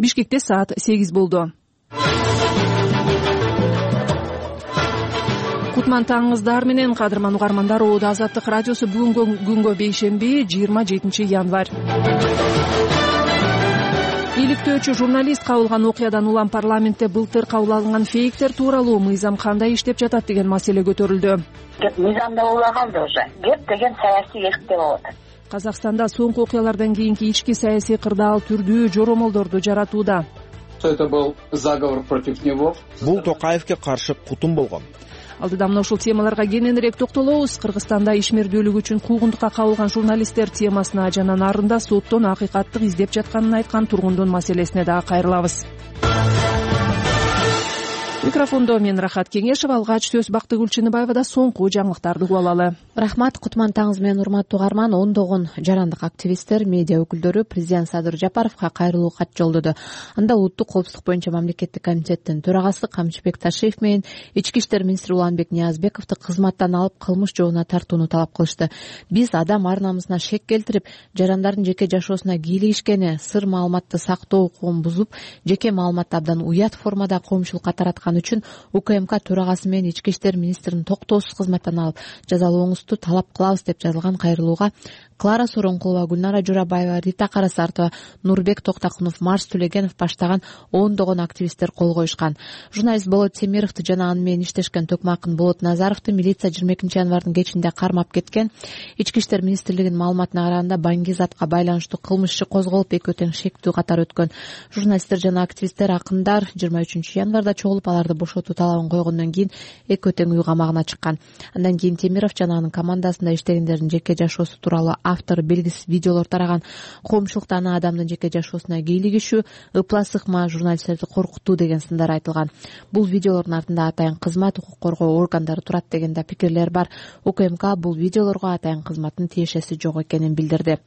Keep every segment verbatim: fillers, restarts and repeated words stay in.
Бишкекте саат сегиз болду. Кутман таңыңыздар менен кадырман угармандар. Оодо Азаттык радиосу бүгүнкү күнгө бейшемби жыйырма жетинчи январь. Иликтөөчү журналист кабылган окуядан улам парламентте былтыр кабыл алынган фейктер тууралуу мыйзам кандай иштеп жатат деген маселе көтөрүлдү. Кеп мыйзамда улагалды уже. Кеп деген саясий эркте болот. Казакстанда соңку окуялардан кийинки ички саясий кырдаал түрдүү жоромолдорду жаратууда. Это был заговор против него. Бул Токаевке каршы кутум болгон. Алдыда мына ушул темаларга кененирээк токтолобуз. Кыргызстанда ишмердүүлүк үчүн куугунтукка кабылган журналисттер темасына жана нарында соттон акыйкаттык издеп жатканын айткан тургундун маселесине дагы кайрылабыз. Микрофондо мен Рахат Кеңешева, алгач сөз Бактыгүл Чыныбаевада соңку жаңылыктарды угуп алалы. Рахмат. Кутман таңыз менен урматтуу угарман. Ондогон жарандык активисттер, медиа өкүлдөрү президент Садыр Жапаровго кайрылуу кат жолдоду. Анда улуттук коопсуздук боюнча мамлекеттик комитеттин төрагасы Камчыбек Ташиев менен ички иштер министри Уланбек Ниязбековду кызматтан алып кылмыш жообуна тартууну талап кылышты. Биз адам ар намысына шек келтирип, жарандардын жеке жашоосуна кийлигишкени, сыр маалыматты сактоо укугун бузуп, жеке маалыматты абдан уят формада коомчулукка тараткан үчүн УКМК төрагасы менен ички иштер министрин токтоосуз кызматтан алып жазалооңузду талап кылабыз деп жазылган кайрылууга Клара Соронкулова, Гүлнара Журабаева, Рита Карасартова, Нурбек Токтакунов, Марс Төлегенов баштаган ондогон активисттер кол коюшкан. Журналист Болот Темировду жана аны менен иштешкен Токмакын Болот Назаровду милиция жыйырма экинчи январдын кечинде кармап кеткен. Ички иштер министрлигинин маалыматына караганда Баңгизатка байланыштуу кылмыш иши козголуп, экөө тең шектүү катар өткөн. Журналисттер жана активисттер акындар жыйырма үчүнчү январда чогулуп аларды бошотуу талабын койгондон кийин экөө тең үй камагына чыккан. Андан кийин Темиров жана анын командасында иштегендердин жеке жашоосу тууралуу автор белгисиз видеолор тараган. Коомчулукта аны адамдын жеке жашоосуна кийлигишүү, ыплас ыкма, журналисттерди коркутуу деген сындар айтылган. Бул видеолордун артында атайын кызмат, укук коргоо органдары турат деген да пикирлер бар. УКМК бул видеолорго атайын кызматтын тиешеси жок экенин билдирди.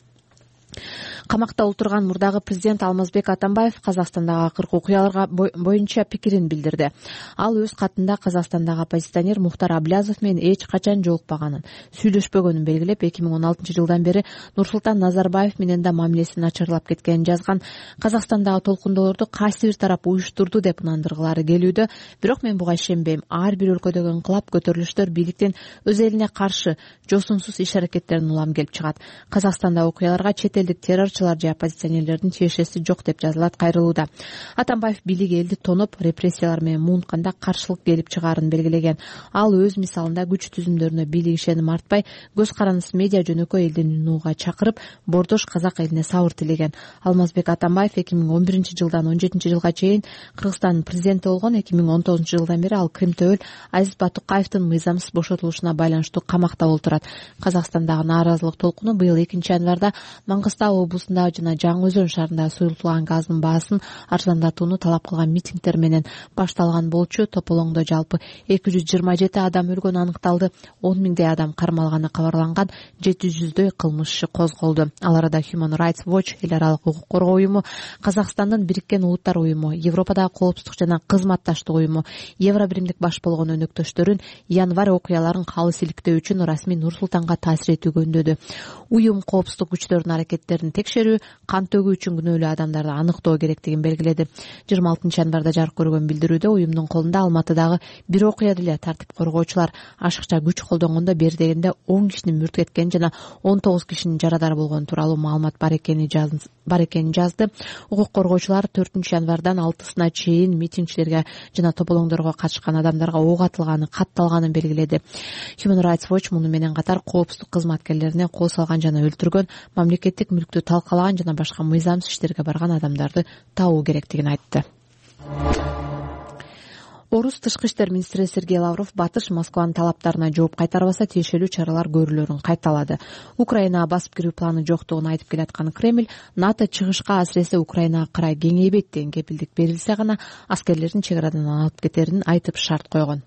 Камакта отурган мурдагы президент Алмазбек Атамбаев Казакстандагы акыркы окуяларга боюнча пикирин билдирди. Ал өз катында Казакстандагы оппозиционер Мухтар Аблязов менен эч качан жолукпаганын, сүйлөшпөгөнүн белгилеп, эки миң он алтынчы жылдан бери Нурсултан Назарбаев менен да мамилеси начарлап кеткенин жазган. Казакстандагы толкундоолорду кайсы бир тарап уюштурду деп ынандыргылары келүүдө, бирок мен буга ишенбейм. Ар бир өлкөдөгү инкылап, көтөрүлүштөр бийликтин өз элине каршы жосунсуз иш-аракеттерин улам келип чыгат. Казакстанда окуяларга чет элдик террорчулар же оппозиционерлердин тиешеси жок деп жазылат кайрылууда. Атамбаев бийлик элди тоноп, репрессиялар менен муунтканда каршылык келип чыгаарын белгилеген. Ал өз мисалында күч түзүмдөрүнө бийлик ишеним артпай, көз карандысыз медиа жөнөкөй элдин унууга чакырып, бордош казак элине сабыр тилеген. Алмазбек Атамбаев эки миң он биринчи жылдан он жетинчи жылга чейин Кыргызстандын президенти болгон. эки миң он тогузунчу жылдан бери ал Кримтөөл Азиз Батукаевдин мыйзамсыз бошотулушуна байланыштуу камакта олтурат. Казакстандагы нааразылык толкуну быйыл экинчи январда Маңгыстау облусундагы жана Жаңы Өзөн шаарындагы суюлтулган газдын баасын арзандатууну талап кылган митингдер менен башталган болчу. Тополоңдо жалпы эки жүз жыйырма жети адам өлгөнү аныкталды, он миңдей адам кармалганы кабарланган, жети жүздөй кылмыш иши козголду. Ал арада Human Rights Watch, эл аралык укук коргоо уюму, Казакстандын Бириккен Улуттар уюму, Европадагы коопсуздук жана кызматташтык уюму, Евробиримдик баш болгон өнөктөштөрүн январь окуяларын калыс иликтөө үчүн расмий Нур-Султанга таасир этүүгө үндөдү. Уюм коопсуздук күчтөрүнүн аракеттерин текшерүү, кан төгүү үчүн күнөөлүү адамдарды аныктоо керектигин белгиледи. жыйырма алтынчы январда жарык көргөн билдирүүдө уюмдун колунда Алматыдагы бир окуя деле тартип коргоочулар ашыкча күч колдонгондо бери дегенде он кишинин мүрт кеткени жана он тогуз кишинин жарадар болгону тууралуу маалымат бар экени бар экенин жазды. Укук коргоочулар төртүнчү январдан алтысына чейин митингчилерге жана тополоңдорго катышкан адамдарга ок атылганы, катталганын белгиледи. Human Rights Watch муну менен катар коопсуздук кызматкерлерине кол салган жана өлтүргөн, мамлекеттик мүлктү талкалаган жана башка мыйзамсыз иштерге барган адамдарды табуу керектигин айтты. Орус тышкы иштер министри Сергей Лавров Батыш Москванын талаптарына жооп кайтарбаса тиешелүү чаралар көрүлөрүн кайталады. Украинага басып кирүү планы жоктугун айтып келаткан Кремль НАТО чыгышка асыресе Украинага карай кеңейбейт деген кепилдик берилсе гана аскерлерин чек арадан алып кетерин айтып шарт койгон.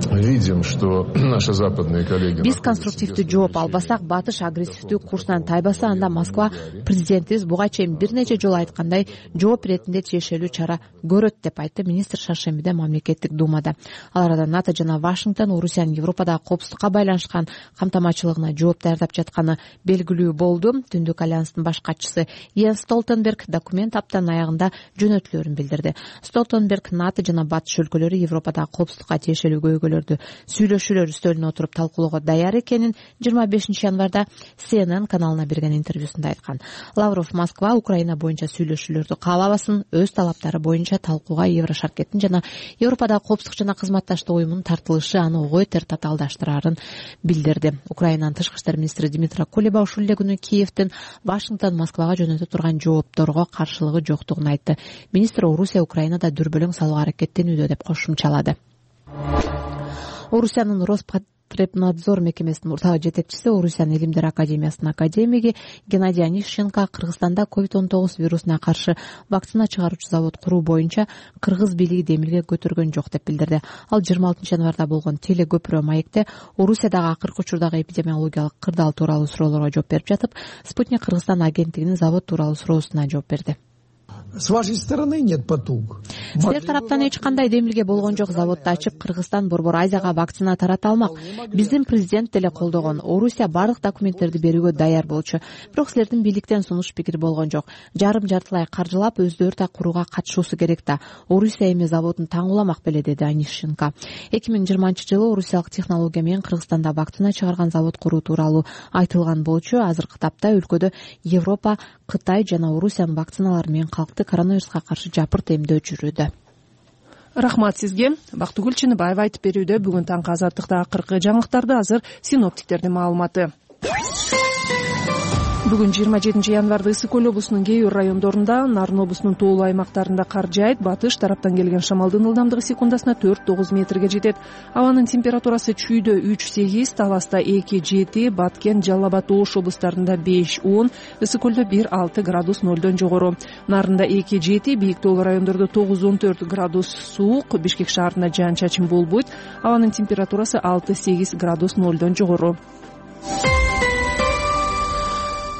видим, что наши западные коллеги... Биз конструктивдүү жооп албасак, батыш агрессивдүү курсунан тайбаса, анда Москва президентибиз буга чейин бир нече жолу айткандай жооп иретинде тиешелүү чара көрөт деп айтты министр шаршембиде мамлекеттик думада. Ал арада НАТО жана Вашингтон Орусиянын Европадагы коопсуздукка байланышкан камтамачылыгына жооп даярдап жатканы белгилүү болду. Түндүк альянстын баш катчысы Йенс Столтенберг документ аптанын аягында жөнөтүлөрүн билдирди. Столтенберг НАТО жана батыш өлкөлөрү Европадагы коопсуздукка тиешелүү көйгөйлөрдү сүйлөшүүлөр үстөлүнө отуруп талкуулоого даяр экенин жыйырма бешинчи январда Си Эн Эн каналына берген интервьюсунда айткан. Лавров Москва Украина боюнча сүйлөшүүлөрдү каалабасын, өз талаптары боюнча талкууга Еврошаркеттин жана Европадагы коопсуздук жана кызматташтык уюмунун тартылышы аны ого бетер татаалдаштырарын билдирди. Украинанын тышкы иштер министри Дмитро Кулеба ушул эле күнү Киевден Вашингтон Москвага жөнөтө турган жоопторго каршылыгы жоктугун айтты. Министр Орусия Украинада дүрбөлөң салууга аракеттенүүдө деп кошумчалады. Орусиянын Роспотребнадзор мекемесинин мурдагы жетекчиси, Орусиянын Илимдер академиясынын академиги Геннадий Онищенко Кыргызстанда ковид он тогуз вирусуна каршы вакцина чыгаруучу завод куруу боюнча кыргыз бийлиги демилге көтөргөн жок деп билдирди. Ал жыйырма алтынчы январда болгон телекөпүрө маекте Орусиядагы акыркы учурдагы эпидемиологиялык кырдаал тууралуу суроолорго жооп берип жатып, Спутник Кыргызстан агенттигинин завод тууралуу суроосуна жооп берди. С вашей стороны нет потуг. Силер тараптан эч кандай демилге болгон жок. Заводду ачып, Кыргызстан Борбор Азияга вакцина тарата алмак. Биздин президент деле колдогон. Орусия бардык документтерди берүүгө даяр болчу. Бирок силердин бийликтен сунуш пикир болгон жок. Жарым жартылай каржылап өздөрү да курууга катышуусу керек да. Орусия эми заводун таң уламак беле, деди Онищенко. эки миң жыйырманчы жылы орусиялык технология менен Кыргызстанда вакцина чыгарган завод куруу тууралуу айтылган болчу. Азыркы тапта өлкөдө Европа, Кытай жана Орусиянын вакциналары менен калкты коронавируска каршы жапырт эмдөө жүрүүдө. Рахмат сизге. Бактыгүл Чыныбаева айтып берүүдө. Бүгүн таңкы азаттыкта акыркы жаңылыктарды азыр синоптиктердин маалыматы. Бүгүн жыйырма жетинчи январда Ысык көл облусунун кээ бир райондорунда, Нарын облусунун тоолуу аймактарында кар жаайт. Батыш тараптан келген шамалдын ылдамдыгы секундасына төрт тогуз метрге жетет. Абанын температурасы Чүйдө үч сегиз, Таласта эки жети, Баткен, Жалал Абад, Ош облустарында беш он, Ысык көлдө бир алты градус нолдон жогору. Нарында эки жети, бийик тоолуу райондордо тогуз он төрт градус суук, Бишкек шаарында жаан чачын болбойт. Абанын температурасы алты сегиз градус нолдон жогору.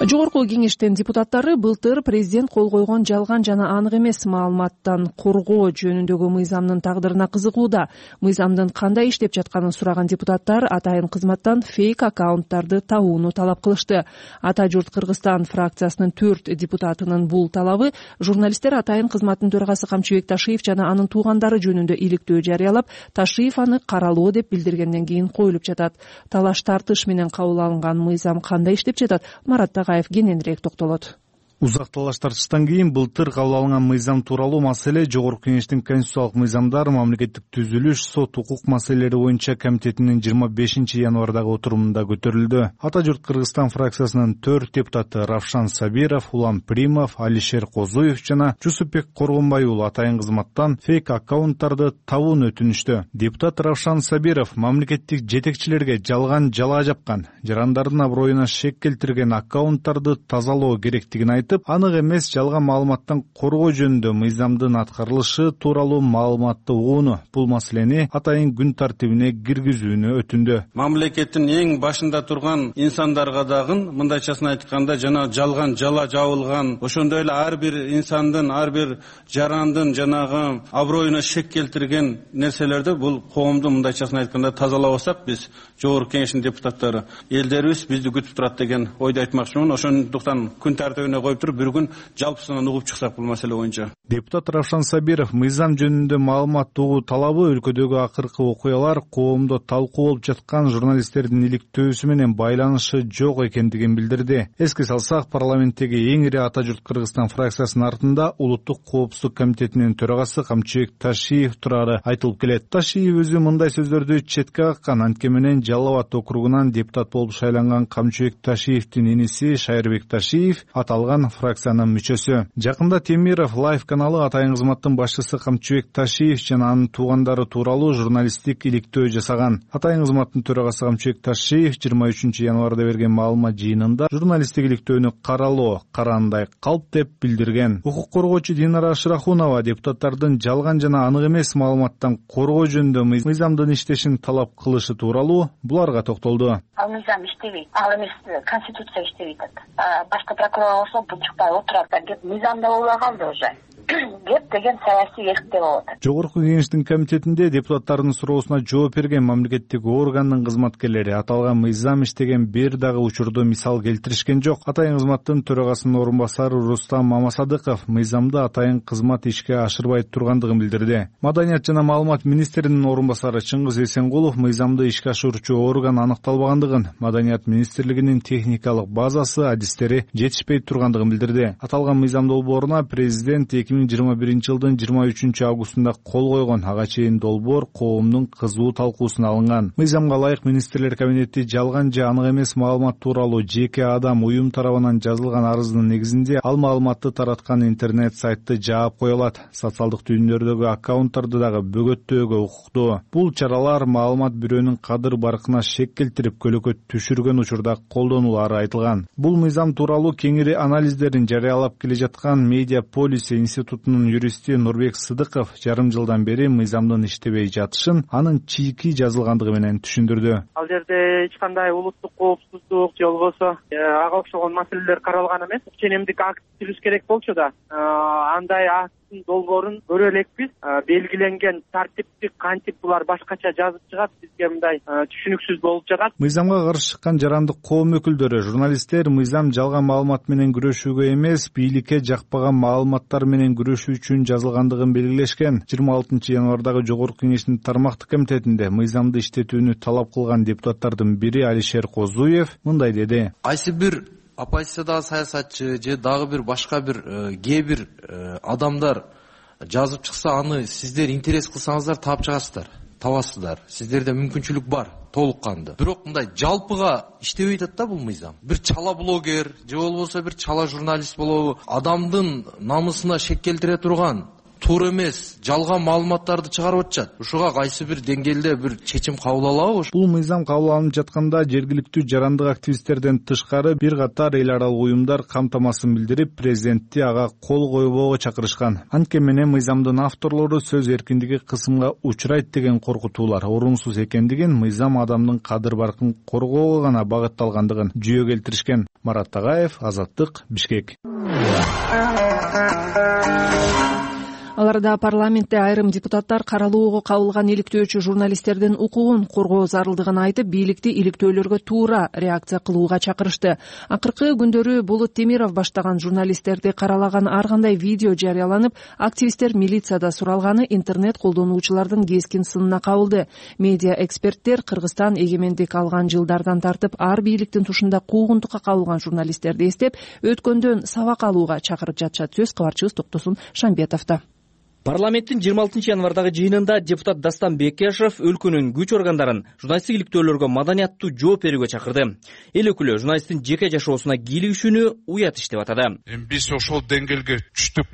Жогорку кеңештин депутаттары былтыр президент кол койгон жалган жана анык эмес маалыматтан коргоо жөнүндөгү мыйзамдын тагдырына кызыгууда. Мыйзамдын кандай иштеп жатканын сураган депутаттар атайын кызматтан фейк аккаунттарды табууну талап кылышты. Ата журт Кыргызстан фракциясынын төрт депутатынын бул талабы журналисттер атайын кызматтын төрагасы Камчыбек Ташиев жана анын туугандары жөнүндө иликтөө жарыялап, Ташиев аны каралоо деп билдиргенден кийин коюлуп жатат. Талаш тартыш менен кабыл алынган мыйзам кандай иштеп жатат? Марат кененирээк токтолот. Узак талаш тартыштан кийин былтыр кабыл алынган мыйзам тууралуу маселе Жогорку кеңештин конституциялык мыйзамдар, мамлекеттик түзүлүш, сот укук маселелери боюнча комитетинин жыйырма бешинчи январдагы отурумунда көтөрүлдү. Ата журт Кыргызстан фракциясынын төрт депутаты Равшан Сабиров, Улам Примов, Алишер Козуев жана Жусупбек Коргонбай уулу атайын кызматтан фейк аккаунттарды табууну өтүнүштү. Депутат Равшан Сабиров мамлекеттик жетекчилерге жалган жалаа жапкан, жарандардын аброюна шек келтирген аккаунттарды тазалоо керектигин айтып, анык эмес жалган маалыматтан коргоо жөнүндө мыйзамдын аткарылышы тууралуу маалыматты угууну, бул маселени атайын күн тартибине киргизүүнү өтүндү. Мамлекеттин эң башында турган инсандарга дагы мындайчасын айтканда жана жалган жала жабылган, ошондой эле ар бир инсандын, ар бир жарандын жанагы аброюна шек келтирген нерселерди бул коомду мындайчасын айтканда тазалабасак, биз Жогорку кеңештин депутаттары элдерибиз бизди күтүп турат деген ойду айтмакчымын. Ошондуктан күн тартибине коюп туруп бир күн жалпысынан угуп чыксак бул маселе боюнча. Депутат Равшан Сабиров мыйзам жөнүндө маалымат угуу талабы өлкөдөгү акыркы окуялар коомдо талкуу болуп жаткан журналисттердин иликтөөсү менен байланышы жок экендигин билдирди. Эске салсак, парламенттеги эң ири Ата журт Кыргызстан фракциясынын артында Улуттук коопсуздук комитетинин төрагасы Камчыбек Ташиев турары айтылып келет. Ташиев өзү мындай сөздөрдү четке каккан. Антке менен Жалал Абад округунан депутат болуп шайланган Камчыбек Ташиевдин иниси Шайырбек Ташиев аталган фракциянын мүчөсү. Жакында Темиров Лайф каналы атайын кызматтын башчысы Камчыбек Ташиев жана анын туугандары тууралуу журналисттик иликтөө жасаган. Атайын кызматтын төрагасы Камчыбек Ташиев жыйырма үчүнчү январда берген маалымат жыйынында журналисттик иликтөөнү каралоо караандай калп деп билдирген. Укук коргоочу Динара Шырахунова депутаттардын жалган жана анык эмес маалыматтан коргоо жөнүндө мыйзамдын иштешин талап кылышы тууралуу буларга токтолду. Ал мыйзам иштебейт, ал эмес конституция иштебейт атат. Башкы прокурор болсо бул чукпай отурат, кеп мыйзамда болбой калды уже. Кеп деген саясий эркте болуп атат. Жогорку кеңештин комитетинде депутаттардын суроосуна жооп берген мамлекеттик органдын кызматкерлери аталган мыйзам иштеген бир дагы учурду мисал келтиришкен жок. Атайын кызматтын төрагасынын орун басары Рустам Мамасадыков мыйзамда атайын кызмат ишке ашырбай тургандыгын билдирди. Маданият жана маалымат министринин орун басары Чыңгыз Эсенгулов мыйзамды ишке ашыруучу орган аныкталбагандыгын, Маданият министрлигинин техникалык базасы, адистери жетишпей тургандыгын билдирди. Аталган мыйзам долбооруна президент эки миң жыйырма биринчи жылдын жыйырма үчүнчү августунда кол койгон. Ага чейин долбоор коомдун кызуу талкуусуна алынган. Мыйзамга ылайык министрлер кабинети жалган же анык эмес маалымат тууралуу жеке адам, уюм тарабынан жазылган арыздын негизинде ал маалыматты тараткан интернет сайтты жаап кое алат. Социалдык түйүндөрдөгү аккаунттарды дагы бөгөттөөгө укуктуу. Бул чаралар маалымат бирөөнүн кадыр баркына шек келтирип көлөкөт түшүргөн учурда колдонулары айтылган. Бул мыйзам тууралуу кеңири анализдерин жарыялап келе жаткан Медиа Полис институтунун юристи Нурбек Сыдыков жарым жылдан бери мыйзамдын иштебей жатышын анын чийки жазылгандыгы менен түшүндүрдү. Ал жерде эч кандай улуттук коопсуздук же болбосо ага окшогон маселелер каралган эмес. Ченемдик акт түзүш керек болчу да, андай акттын долбоорун көрө элекпиз. Белгиленген тартиптик кантип булар башкача жазып чыгат, бизге мындай түшүнүксүз болуп жатат. Мыйзамга каршы чыккан жарандык коом өкүлдөрү, журналисттер мыйзам жалган маалымат менен күрөшүүгө эмес, бийликке жакпаган маалыматтар менен күрөшүү үчүн жазылгандыгын белгилешкен. жыйырма алтынчы январдагы Жогорку кеңештин тармактык комитетинде мыйзамды иштетүүнү талап кылган депутаттардын бири Алишер Козуев мындай деди. Кайсы бир оппозициядагы саясатчы же дагы бир башка бир кээ бир адамдар жазып чыкса, аны сиздер интерес кылсаңыздар таап чыгасыздар, табасыздар. Сиздерде мүмкүнчүлүк бар толук канды. Бирок мындай жалпыга иштебей атат да бул мыйзам. Бир чала блогер же болбосо бир чала журналист болобу, адамдын намысына шек келтире турган туура эмес жалган маалыматтарды чыгарып атышат. Ушуга кайсы бир деңгээлде бир чечим кабыл алабы? Бул мыйзам кабыл алынып жатканда жергиликтүү жарандык активисттерден тышкары бир катар эл аралык уюмдар камтамасын билдирип, президентти ага кол койбоого чакырышкан. Анткени менен мыйзамдын авторлору сөз эркиндиги кысымга учурайт деген коркутуулар орунсуз экендигин, мыйзам адамдын кадыр баркын коргоого гана багытталгандыгын жүйө келтиришкен. Марат Тагаев, Азаттык, Бишкек. Аларда парламентте айрым депутаттар каралоого кабылган иликтөөчү журналисттердин укугун коргоо зарылдыгын айтып, бийликти иликтөөлөргө туура реакция кылууга чакырышты. Акыркы күндөрү Болот Темиров баштаган журналисттерди каралаган ар кандай видео жарыяланып, активисттер милицияда суралганы интернет колдонуучулардын кескин сынына кабылды. Медиа эксперттер Кыргызстан эгемендик алган жылдардан тартып ар бийликтин тушунда куугунтукка кабылган журналисттерди эстеп, өткөндөн сабак алууга чакырып жатышат. Сөз кабарчыбыз Токтосун Шамбетовдо. Парламенттин жыйырма алтынчы январдагы жыйынында депутат Дастан Бекешев өлкөнүн күч органдарын журналисттик иликтөөлөргө маданияттуу жооп берүүгө чакырды. Эл өкүлү журналисттин жеке жашоосуна кийлигишүүнү уят иш деп атады. Эми биз ошол деңгээлге түштүк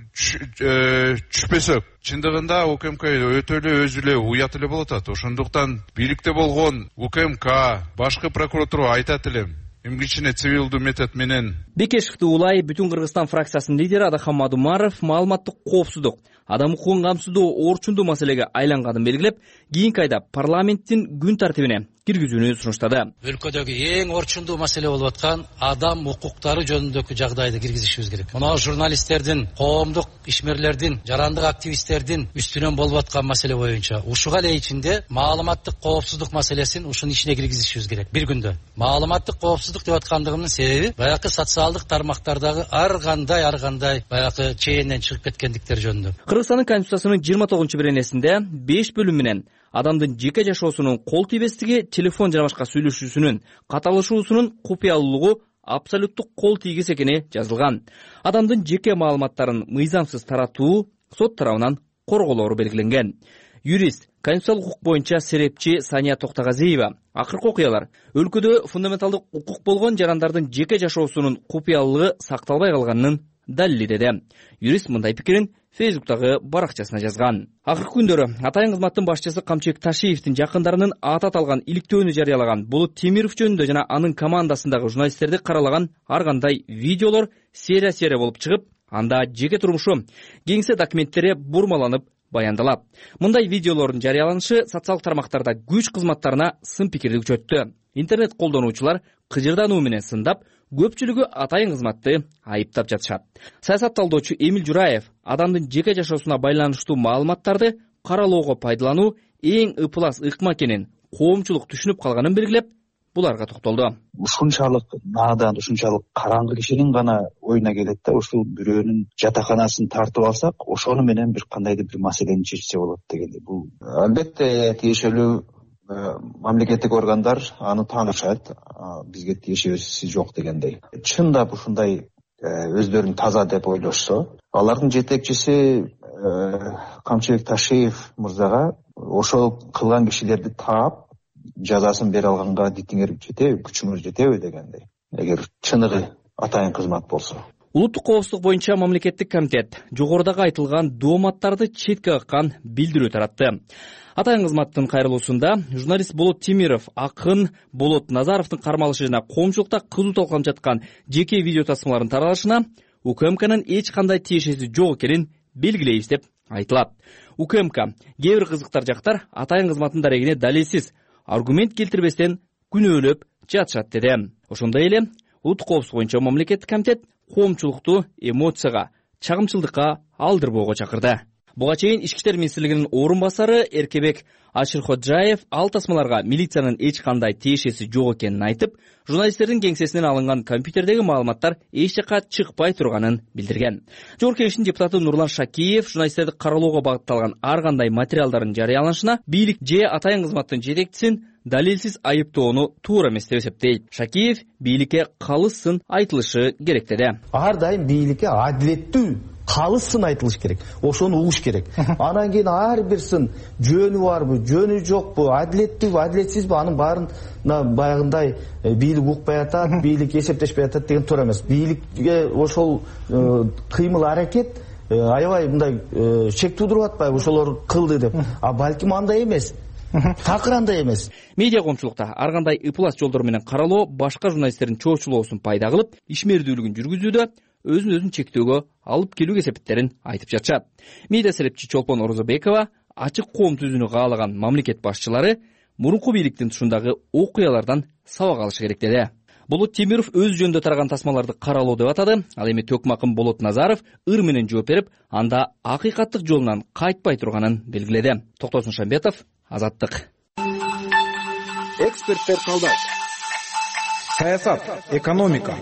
түшпөсөк, чындыгында УКМК өтө эле өзү эле уят эле болуп атат. Ошондуктан бийликте болгон УКМК, башкы прокуратура айтат элем. Эми кичине цивилдүү метод менен Бекешевди улай Бүтүн Кыргызстан фракциясынын лидери Адахан Мадумаров маалыматтык коопсуздук, адам укугун камсыздоо орчундуу маселеге айланганын белгилеп, кийинки айда парламенттин күн тартибине киргизүүнү сунуштады. Өлкөдөгү эң орчундуу маселе болуп аткан адам укуктары жөнүндөгү жагдайды киргизишибиз керек. Мына журналисттердин, коомдук ишмерлердин, жарандык активисттердин үстүнөн болуп аткан маселе боюнча ушуга эле ичинде маалыматтык коопсуздук маселесин ушунун ичине киргизишибиз керек. Бир күндө маалыматтык коопсуздук деп аткандыгымдын себеби баягы социалдык тармактардагы ар кандай ар кандай баягы чейинен чыгып кеткендиктер жөнүндө. Кыргызстандын конституциясынын жыйырма тогузунчу беренесинде беш бөлүм менен адамдын жеке жашоосунун кол тийбестиги, телефон жана башка сүйлөшүүсүнүн каталышуусунун купуялуулугу абсолюттук кол тийгис экени жазылган. Адамдын жеке маалыматтарын мыйзамсыз таратуу сот тарабынан корголоору белгиленген. Юрист конституциялык укук боюнча серепчи Сания Токтогазиева акыркы окуялар өлкөдө фундаменталдык укук болгон жарандардын жеке жашоосунун купуялыгы сакталбай калганынын далили деди. Юрист мындай пикирин Фейсбуктагы баракчасына жазган. Акыркы күндөрү атайын кызматтын башчысы Камчыбек Ташиевдин жакындарынын аты аталган иликтөөнү жарыялаган Болот Темиров жөнүндө жана анын командасындагы журналисттерди каралаган ар кандай видеолор серия-серия болуп чыгып, анда жеке турмушу, кеңсе документтери бурмаланып баяндалат. Мындай видеолордун жарыяланышы социалдык тармактарда күч кызматтарына сын пикирди күчөттү. Интернет колдонуучулар кыжырдануу менен сындап, көпчүлүгү атайын кызматты айыптап жатышат. Саясат талдоочу Эмил Жураев адамдын жеке жашоосуна байланыштуу маалыматтарды каралоого пайдалануу эң ыплас ыкма экенин коомчулук түшүнүп калганын белгилеп, буларга токтолду. Ушунчалык наадан, ушунчалык караңгы кишинин гана оюна келет да, ушул бирөөнүн жатаканасын тартып алсак, ошону менен бир кандайдыр бир маселени чечсе болот дегенде. Бул албетте тиешелүү мамлекеттик органдар аны таанышат, бизге тиешеси жок дегендей. Чындап ушундай өздөрүн таза деп ойлошсо, алардын жетекчиси Камчыбек Ташиев мырзага ошол кылган кишилерди таап жазасын бере алганга дитиңер жетеби, күчүңөр жетеби дегендей. Эгер чыныгы атайын кызмат болсо. Улуттук коопсуздук боюнча мамлекеттик комитет жогорудагы айтылган дооматтарды четке каккан билдирүү таратты. Атайын кызматтын кайрылуусунда журналист Болот Темиров акын Болот Назаровдун кармалышы жана коомчулукта кызуу талкууланып жаткан жеке видео тасмаларын таралышына УКМКнын эч кандай тиешеси жок экенин белгилейбиз деп айтылат. УКМК кээ бир кызыктар жактар атайын кызматтын дарегине далилсиз аргумент келтирбестен күнөөлөп жатышат деди. Ошондой эле улуттук коопсуздук боюнча мамлекеттик комитет коомчулукту эмоцияга, чагымчылдыкка алдырбоого чакырды. Буга чейин Ички иштер министрлигинин орун басары Эркебек Аширходжаев ал тасмаларга милициянын эч кандай тиешеси жок экенин айтып, журналисттердин кеңсесинен алынган компьютердеги маалыматтар эч жакка чыкпай турганын билдирген. Жогорку кеңештин депутаты Нурлан Шакиев журналисттерди каралоого багытталган ар кандай материалдардын жарыяланышына бийлик же атайын кызматтын жетекчисин далилсиз айыптоону туура эмес деп эсептейт. Шакиев бийликке калыс сын айтылышы керек деди. Ар дайым бийликке адилеттүү калыс сын айтылыш керек. Ошону угуш керек. Анан кийин ар бир сын жөнү барбы, жөнү жокпу, адилеттүүбү, адилетсизби, анын баарына баягындай бийлик укпай атат, бийлик эсептешпей атат деген туура эмес. Бийликке ошол кыймыл аракет аябай мындай шек туудуруп атпайбы, ошолор кылды деп. А балким андай эмес. Такыр андай эмес. Медиа коомчулукта ар кандай ыплас жолдор менен каралоо башка журналисттердин чоочулоосун пайда кылып, ишмердүүлүгүн жүргүзүүдө өзүн-өзүн чектөөгө алып келүү кесепеттерин айтып жатышат. Медиа серепчи Чолпон Орозобекова ачык коом түзүүнү каалаган мамлекет башчылары мурунку бийликтин тушундагы окуялардан сабак алышы керек деди. Болот Темиров өз жөнүндө тараган тасмаларды каралоо деп атады. Ал эми Төкмакын Болот Назаров ыр менен жооп берип, анда акыйкаттык жолунан кайтпай турганын белгиледи. Токтосун Шамбетов, Азаттык. Эксперттер талдайт. Саясат, экономика,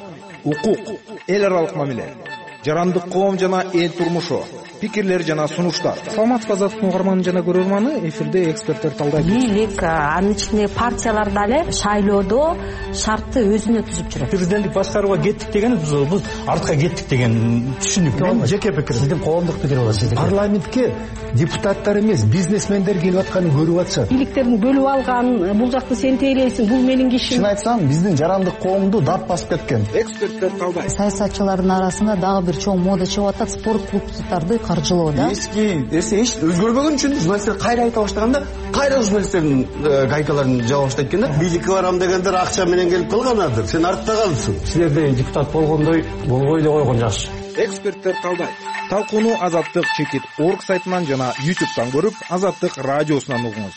укук, эл аралык мамиле, жарандык коом жана эл турмушу, пикирлер жана сунуштар. Саламатсызбы, Азаттык угарманы жана көрөрманы, эфирде эксперттер талдайт. Бийлик, анын ичинде партиялар дагы шайлоодо шартты өзүнө түзүп жүрөт. Президенттик башкарууга кеттик деген биз артка кеттик деген түшүнүк. Мен жеке пикирим. Сиздин коомдук пикир болот. Парламентке депутаттар эмес, бизнесмендер келип атканын көрүп атышат. Бийликтердин бөлүп алган, бул жакты сен тейлейсиң, бул менин кишим. Чын айтсам, биздин жарандык коомду дап басып кеткен. Эксперттер талдайт. Саясатчылардын арасында дагы бир чоң мода чыгып атат, спорт клубдарды каржылоо да. Эски нерсе эч өзгөрбөгөн үчүн журналисттер кайра айта баштаганда, кайра журналисттердин гайкаларын жаба баштайт экен да. Бийликке барам дегендер акча менен келип калганадыр. Сен артта калдың. Силерде депутат болгондой болбой эле койгон жакшы. Эксперттер талдайт. Талкууну Азаттык чекит орг сайтынан жана ютубтан көрүп, Азаттык радиосунан угуңуз.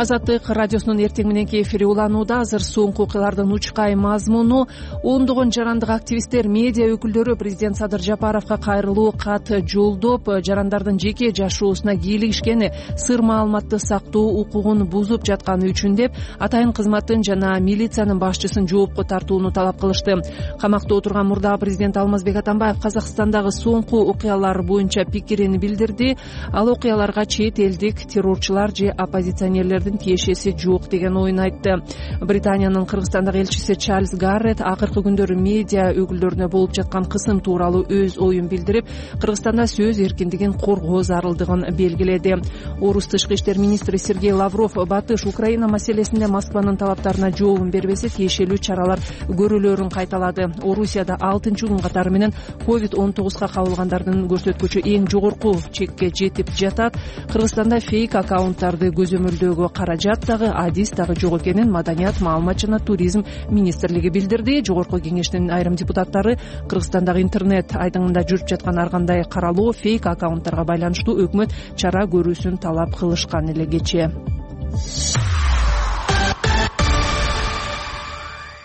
Азаттык радиосунун эртең мененки эфири уланууда. Азыр соңку окуялардын учкай мазмуну: ондогон жарандык активисттер, медиа өкүлдөрү президент Садыр Жапаровго кайрылуу кат жолдоп, жарандардын жеке жашоосуна кийлигишкени, сыр маалыматты сактоо укугун бузуп жатканы үчүн деп атайын кызматтын жана милициянын башчысын жоопко тартууну талап кылышты. Камакта отурган мурдагы президент Алмазбек Атамбаев Казакстандагы соңку окуялар боюнча пикирин билдирди. Ал окуяларга чет элдик террорчулар же оппозиционерлердин элдин тиешеси жок деген оюн айтты. Британиянын Кыргызстандагы элчиси Чарльз Гаррет акыркы күндөрү медиа өкүлдөрүнө болуп жаткан кысым тууралуу өз оюн билдирип, Кыргызстанда сөз эркиндигин коргоо зарылдыгын белгиледи. Орус тышкы иштер министри Сергей Лавров Батыш Украина маселесинде Москванын талаптарына жообун бербесе тиешелүү чаралар көрүлөрүн кайталады. Орусияда алтынчы күн катары менен ковид он тогузга кабылгандардын көрсөткүчү эң жогорку чекке жетип жатат. Кыргызстанда фейк аккаунттарды көзөмөлдөөгө каражат дагы, адис дагы жок экенин Маданият, маалымат жана туризм министрлиги билдирди. Жогорку кеңештин айрым депутаттары Кыргызстандагы интернет айдыңында жүрүп жаткан ар кандай каралоо, фейк аккаунттарга байланыштуу өкмөт чара көрүүсүн талап кылышкан эле кечээ.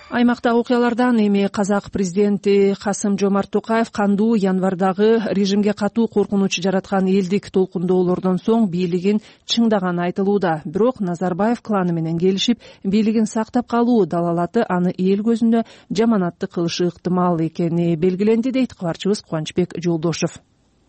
Аймакта окуялардан эми казак президенти Касым Жомарт Токаев кандуу январдагы режимге катуу коркунуч жараткан элдик толкундоолордон соң бийлигин чыңдаганы айтылууда. Бирок Назарбаев кланы менен келишип, бийлигин сактап калуу далалаты аны эл көзүндө жаманатты кылышы ыктымал экени белгиленди, дейт кабарчыбыз Кубанычбек Жолдошев.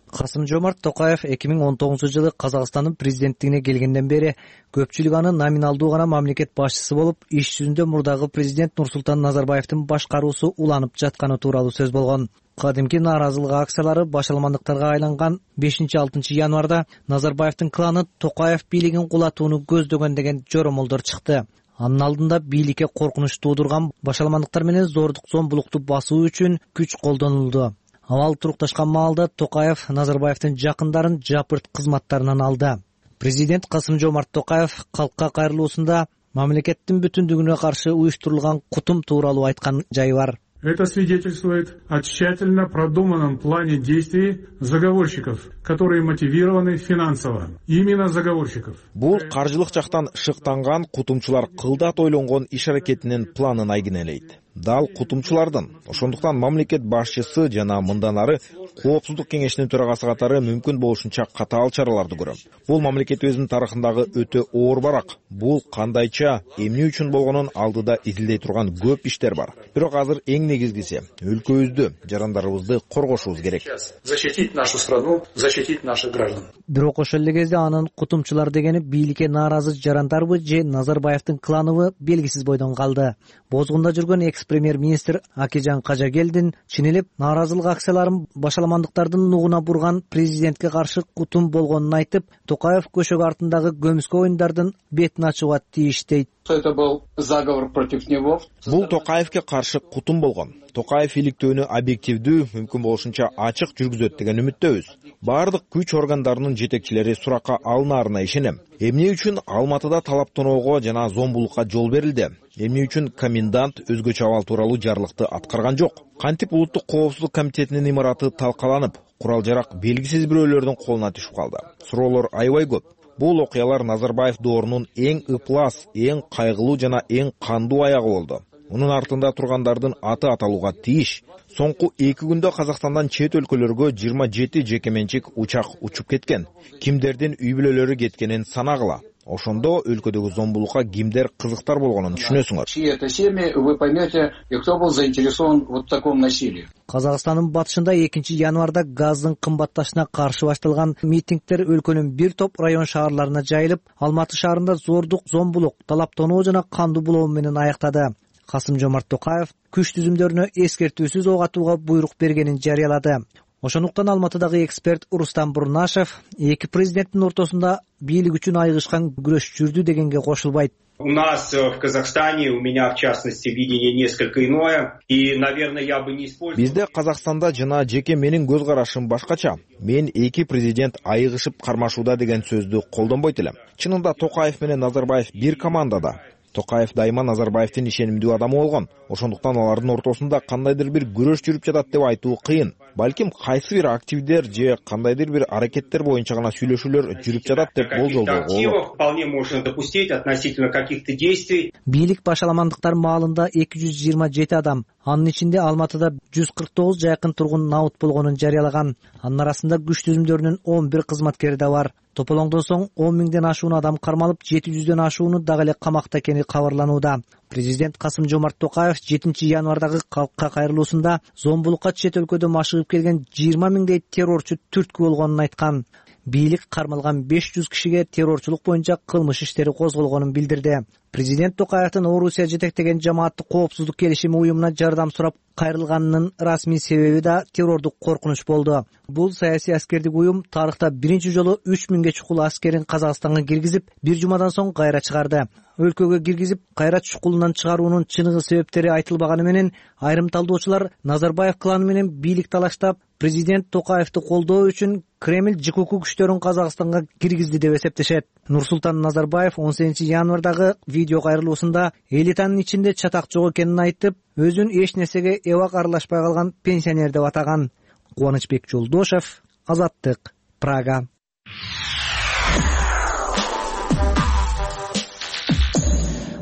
Касым Жомарт Токаев эки миң он тогузунчу жылы Казакстандын президенттигине келгенден бери көпчүлүк аны номиналдуу гана мамлекет башчысы болуп, иш жүзүндө мурдагы президент Нурсултан Назарбаевдин башкаруусу уланып жатканы тууралуу сөз болгон. Кадимки нааразылык акциялары башаламандыктарга айланган бешинчи алтынчы январда Назарбаевдин кланы Токаев бийлигин кулатууну көздөгөн деген жоромолдор чыкты. Анын алдында бийликке коркунуч туудурган башаламандыктар менен зордук зомбулукту басуу үчүн күч колдонулду. Абал турукташкан маалда Токаев Назарбаевдин жакындарын жапырт кызматтарынан алды. Президент Касым Жомарт Токаев калкка кайрылуусунда мамлекеттин бүтүндүгүнө каршы уюштурулган кутум тууралуу айткан жайы бар. Это свидетельствует о тщательно продуманном плане действий заговорщиков, которые мотивированы финансово. Именно заговорщиков. Бул каржылык жактан шыктанган кутумчулар кылдат ойлонгон иш аракетинин планын айгинелейт. Дал кутумчулардын. Ошондуктан мамлекет башчысы жана мындан ары Коопсуздук кеңешинин төрагасы катары мүмкүн болушунча катаал чараларды көрөм. Бул мамлекетибиздин тарыхындагы өтө оор барак. Бул кандайча, эмне үчүн болгонун алдыда изилдей турган көп иштер бар. Бирок азыр эң негизгиси өлкөбүздү, жарандарыбызды коргошубуз керек. Защитить нашу страну, защитить наших граждан. Бирок ошол эле кезде анын кутумчулар дегени бийликке нааразы жарандарбы же Назарбаевдин кланыбы белгисиз бойдон калды. Бозгунда жүргөн экс-премьер-министр Акижан Кажагелдин чынелеп нааразылык акцияларын башаламандыктардын нугуна бурган президентке каршы кутум болгонун айтып, Токаев көшөгө артындагы көмүскө оюндардын бетин ачууга тийиш дейт. Это был заговор против него. Бул Токаевке каршы кутум болгон. Токаев иликтөөнү объективдүү, мүмкүн болушунча ачык жүргүзөт деген үмүттөбүз. Бардык күч органдарынын жетекчилери суракка алынаарына ишенем. Эмне үчүн Алматыда талаптоноого жана зомбулукка жол берилди? Эмне үчүн комендант өзгөчө абал тууралуу жарлыкты аткарган жок? Кантип улуттук коопсуздук комитетинин имараты талкаланып, курал-жарак белгисиз бирөөлөрдүн колуна түшүп калды? Суроолор аябай көп. Бул окуялар Назарбаев доорунун эң ыплас, эң кайгылуу жана эң кандуу аягы болду. Мунун артында тургандардын аты аталууга тийиш. Соңку эки күндө Казакстандан чет өлкөлөргө жыйырма жети жеке менчик учак учуп кеткен. Кимдердин үй бүлөлөрү кеткенин санагыла. Ошондо өлкөдөгү зомбулукка кимдер кызыктар болгонун түшүнөсүңөр. Чьи это семьи, вы поймете, и кто был заинтересован вот в таком насилии. Казакстандын батышында экинчи январда газдын кымбатташына каршы башталган митингдер өлкөнүн бир топ район шаарларына жайылып, Алматы шаарында зордук, зомбулук, талаптонуу жана кандуу булоо менен аяктады. Касым Жомарт Токаев күч түзүмдөрүнө эскертүүсүз ок атууга буйрук бергенин жарыялады. Ошондуктан Алматыдагы эксперт Рустам Бурнашев эки президенттин ортосунда бийлик үчүн айгышкан күрөш жүрдү дегенге кошулбайт. У нас в Казахстане, у меня в частности, видение несколько иное, и, наверное, я бы не использовал... Бизде Казакстанда жана жеке менин көз карашым башкача. Мен эки президент айыгышып кармашууда деген сөздү колдонбойт элем. Чынында Токаев менен Назарбаев бир командада. Токаев дайыма Назарбаевдин ишенимдүү адамы болгон. Ошондуктан алардын ортосунда кандайдыр бир күрөш жүрүп жатат деп айтуу кыйын. Балким кайсы бир активдер же кандайдыр бир аракеттер боюнча гана сүйлөшүүлөр жүрүп жатат деп болжолдоого болот. Вполне можно допустить относительно каких-то действий. Бийлик башаламандыктар маалында эки жүз жыйырма жети адам, анын ичинде Алматыда жүз кырк тогуз жакын тургун наут болгонун жарыялаган. Анын арасында күч түзүмдөрүнүн он бир кызматкери да бар. Тополоңдон соң он миңден ашуун адам кармалып, жети жүздөн ашууну дагы эле камакта экени кабарланууда. Президент Касым Жомарт Токаев жетинчи январдагы калкка кайрылуусунда зомбулукка чет өлкөдөн машыгып келген жыйырма миңдей террорчу түрткү болгонун айткан. бийлик кармалган беш жүз кишиге террорчулук боюнча кылмыш иштери козголгонун билдирди. Президент Токаевдин Орусия жетектеген жамааттык коопсуздук келишими уюмуна жардам сурап кайрылганынын расмий себеби да террордук коркунуч болду. Бул саясий аскердик уюм тарыхта биринчи жолу үч миңге чукул аскерин Казакстанга киргизип, бир жумадан соң кайра чыгарды. Өлкөгө киргизип, кайра чукулунан чыгаруунун чыныгы себептери айтылбаганы менен айрым талдоочулар Назарбаев кланы менен бийлик талаштап, президент Токаевди колдоо үчүн Кремль ЖКУ күчтөрүн Казакстанга киргизди деп эсептешет. Нурсултан Назарбаев он сегизинчи январдагы видео кайрылуусунда элитанын ичинде чатак жок экенин айтып, өзүн эч нерсеге эбак аралашпай калган пенсионер деп атаган. Кубанычбек Жолдошев, Азаттык, Прага.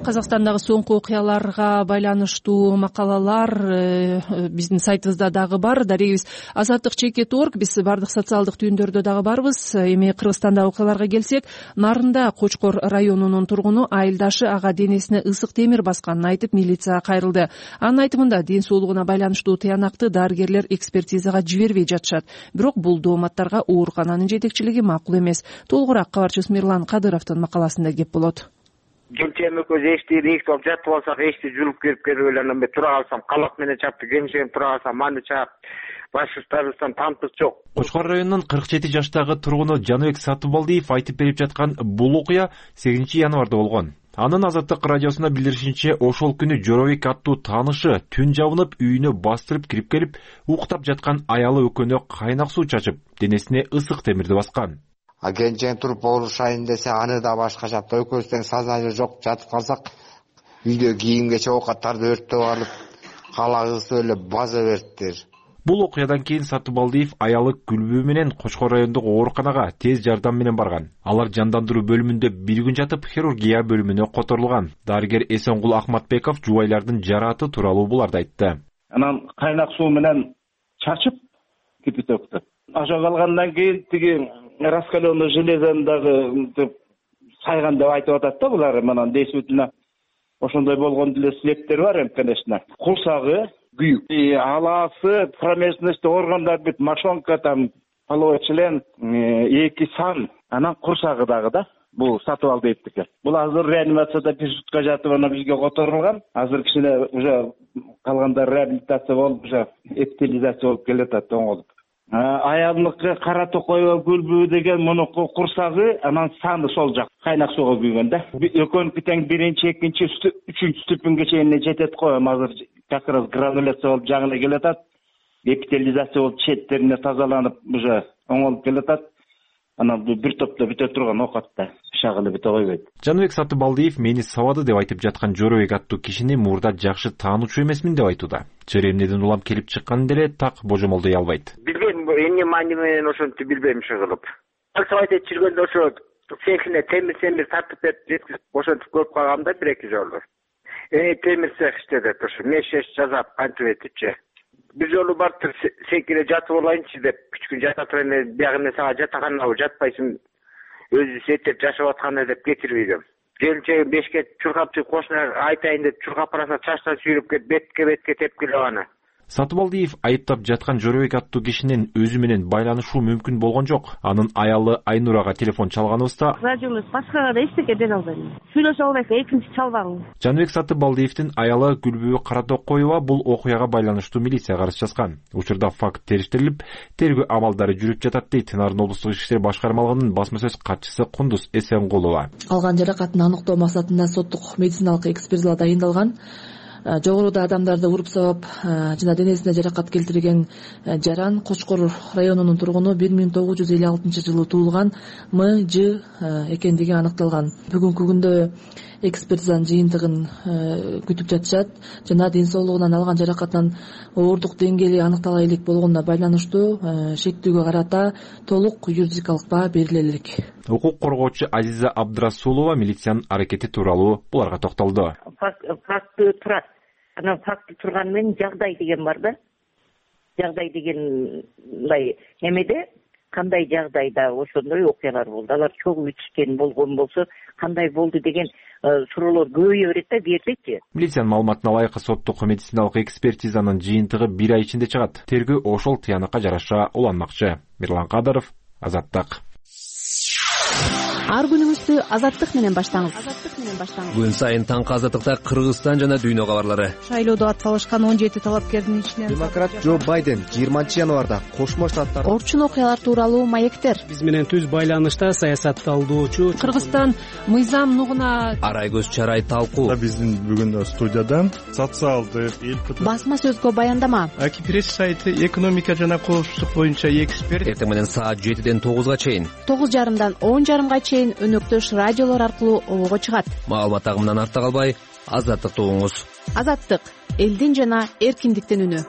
Казакстандагы соңку окуяларга байланыштуу макалалар биздин сайтыбызда дагы бар. Дарегибиз азаттык чекит точка орг. Биз бардык социалдык түйүндөрдө дагы барбыз. Эми Кыргызстандагы окуяларга келсек, Нарында Кочкор районунун тургуну айылдашы ага денесине ысык темир басканын айтып милицияга кайрылды. Анын айтымында ден соолугуна байланыштуу тыянакты дарыгерлер экспертизага жибербей жатышат. Бирок бул дооматтарга оорукананын жетекчилиги макул эмес. Толугураак кабарчыбыз Мирлан Кадыровдун макаласында кеп болот. Келчем экөөбүз эшти рейс болуп жатып алсак, эшти жүрүп кирип келип эле анан мен тура калсам, калак менен чапты, кемшем тура калсам, маны чаап, башыбыздан тамтык жок. Кочкор районунун кырк жети жаштагы тургуну Жаныбек Сатыбалдиев айтып берип жаткан бул окуя сегизинчи январда болгон. Анын Азаттык радиосуна билдиришинче, ошол күнү Жоробек аттуу таанышы түн жабынып үйүнө бастырып кирип келип, уктап жаткан аялы экөөнө кайнак суу чачып, денесине ысык темирди баскан. А кенжең туруп оорушайын десе, аны да башка жапты. Экөөбүздөн сознание жок жатып калсак, үйдө кийимгече оокаттарды өрттөп алып, калагыбызды эле база бериптир. Бул окуядан кийин Сатыбалдиев аялы Күлбү менен Кочкор райондук ооруканага тез жардам менен барган. Алар жандандыруу бөлүмүндө бир күн жатып, хирургия бөлүмүнө которулган. Дарыгер Эсенгул Ахматбеков жубайлардын жарааты тууралуу буларды айтты. Анан кайнак суу менен чачып кипятокто. Ошо калгандан кийин тиги раскаленный железодагы сайган деп айтып атат да булар. Манан действительно ошондой болгон деле слептер бар эми, конечно. Курсагы күйүк. И алаасы промежность органдар бүт мошонка там половой член эки сан, анан курсагы дагы да. Бул Сатыбалдиевдики. Бул азыр реанимацияда бир сутка жатып анан бизге которулган. Азыр кичине уже калгандар реабилитация болуп, уже эпителизация болуп келатат оңолуп. Аялдыкы Кара Токоева Күлбү деген муну курсагы, анан саны сол жак кайнак сууга күйгөн да. Экөөнүкү тең биринчи, экинчи, үчүнчү ступеньге чейин жетет го. Азыр как раз грануляция болуп жагына келатат. Эпителизация болуп четтерине тазаланып уже оңолуп келатат. Анан бул бир топто бүтө турган оокатта шагылы бүтө койбойт. Жаныбек Сатыбалдиев мени сабады деп айтып жаткан Жоробек аттуу кишини мурда жакшы таануучу эмесмин деп айтууда. Чыремнеден улам келип чыкканын деле так божомолдой албайт. Билбейм, эмне маани менен ошентип билбейм чыгылып. Алсабайт жүргөндө ошо цехине темир темир тартып берип жеткизип ошентип көрүп калгам да бир эки жолу. Э темир цех иштедет ошо мешеш жазап кантип этипчи. Бир жолу барып секире жатып алайынчы деп үч күн жата турайын, биягы сага жатаканабы жатпайсың, өзү сеттеп жашап атканда деп кетирип ийдим. Келинчегим бешке чуркап чыгып кошуна айтайын деп чуркап бараса чачтан сүйрөп кетип бетке бетке тепкилеп аны. Сатыбалдиев айыптап жаткан Жоробек аттуу кишинин өзү менен байланышуу мүмкүн болгон жок. Анын аялы Айнурага телефон чалганыбызда радиомуз башкага да эчтеке дере албайм. Сүйлөшө албайсың, экинчи чалбаң. Жаныбек Сатыбалдиевдин аялы Күлбү Каратокоева бул окуяга байланыштуу милицияга арыз жазган. Учурда факт териштирилип, тергөө амалдары жүрүп жатат дейт Нарын облустук ички иштер башкармалыгынын басма сөз катчысы Кундуз Эсенгулова. Алган жаракатын аныктоо максатында соттук медициналык экспертиза дайындалган. Жогоруда адамдарды уруп сабап жана денесине жаракат келтирген жаран Кочкор районунун тургуну бир миң тогуз жүз элүү алтынчы жылы туулган М Ж экендиги аныкталган. Бүгүнкү күндө экспертизанын жыйынтыгын күтүп жатышат жана ден соолугунан алган жаракатынын оорундук деңгээли аныктала элек болгонуна байланыштуу шектүүгө карата толук юридикалык баа бериле элек. Укук коргоочу Азиза Абдрасулова милициянын аракети тууралуу буларга токтолду. Факты турат. Анан факты турган менен жагдай деген бар да. Жагдай деген мындай эмеде кандай жагдайда ошондой окуялар болду. Алар чогуу ичкен болгон болсо кандай болду деген суроолор көбөйө берет да бертечи. Милициянын маалыматына ылайык соттук медициналык экспертизанын жыйынтыгы бир ай ичинде чыгат. Тергөө ошол тыянакка жараша уланмакчы. Мирлан Кадыров, Азаттык. Ар күнүңүздү Азаттык менен баштаңыз. Күн сайын таңкы Азаттыкта Кыргызстан жана дүйнө кабарлары. Шайлоодо атсалышкан он жети талапкердин ичинен демократ Джо Байден жыйырманчы январда Кошмо Штаттар орчун окуялар тууралуу маектер. Биз менен түз байланышта саясатталуучу Кыргызстан мыйзам нугуна арай көз чарай талкуу. Биздин бүгүн студиядан социалдык басма сөзгө баяндама. Акипресс сайты экономика жана коопсуздук боюнча эксперт. Эртең менен саат жетиден тогузга чейин, тогуз жарымдан он жарымга чейин өнөктөш радиолор аркылуу обого чыгат. Маалымат агымынан артта калбай, Азаттыкты угуңуз. Азаттык — элдин жана эркиндиктин үнү.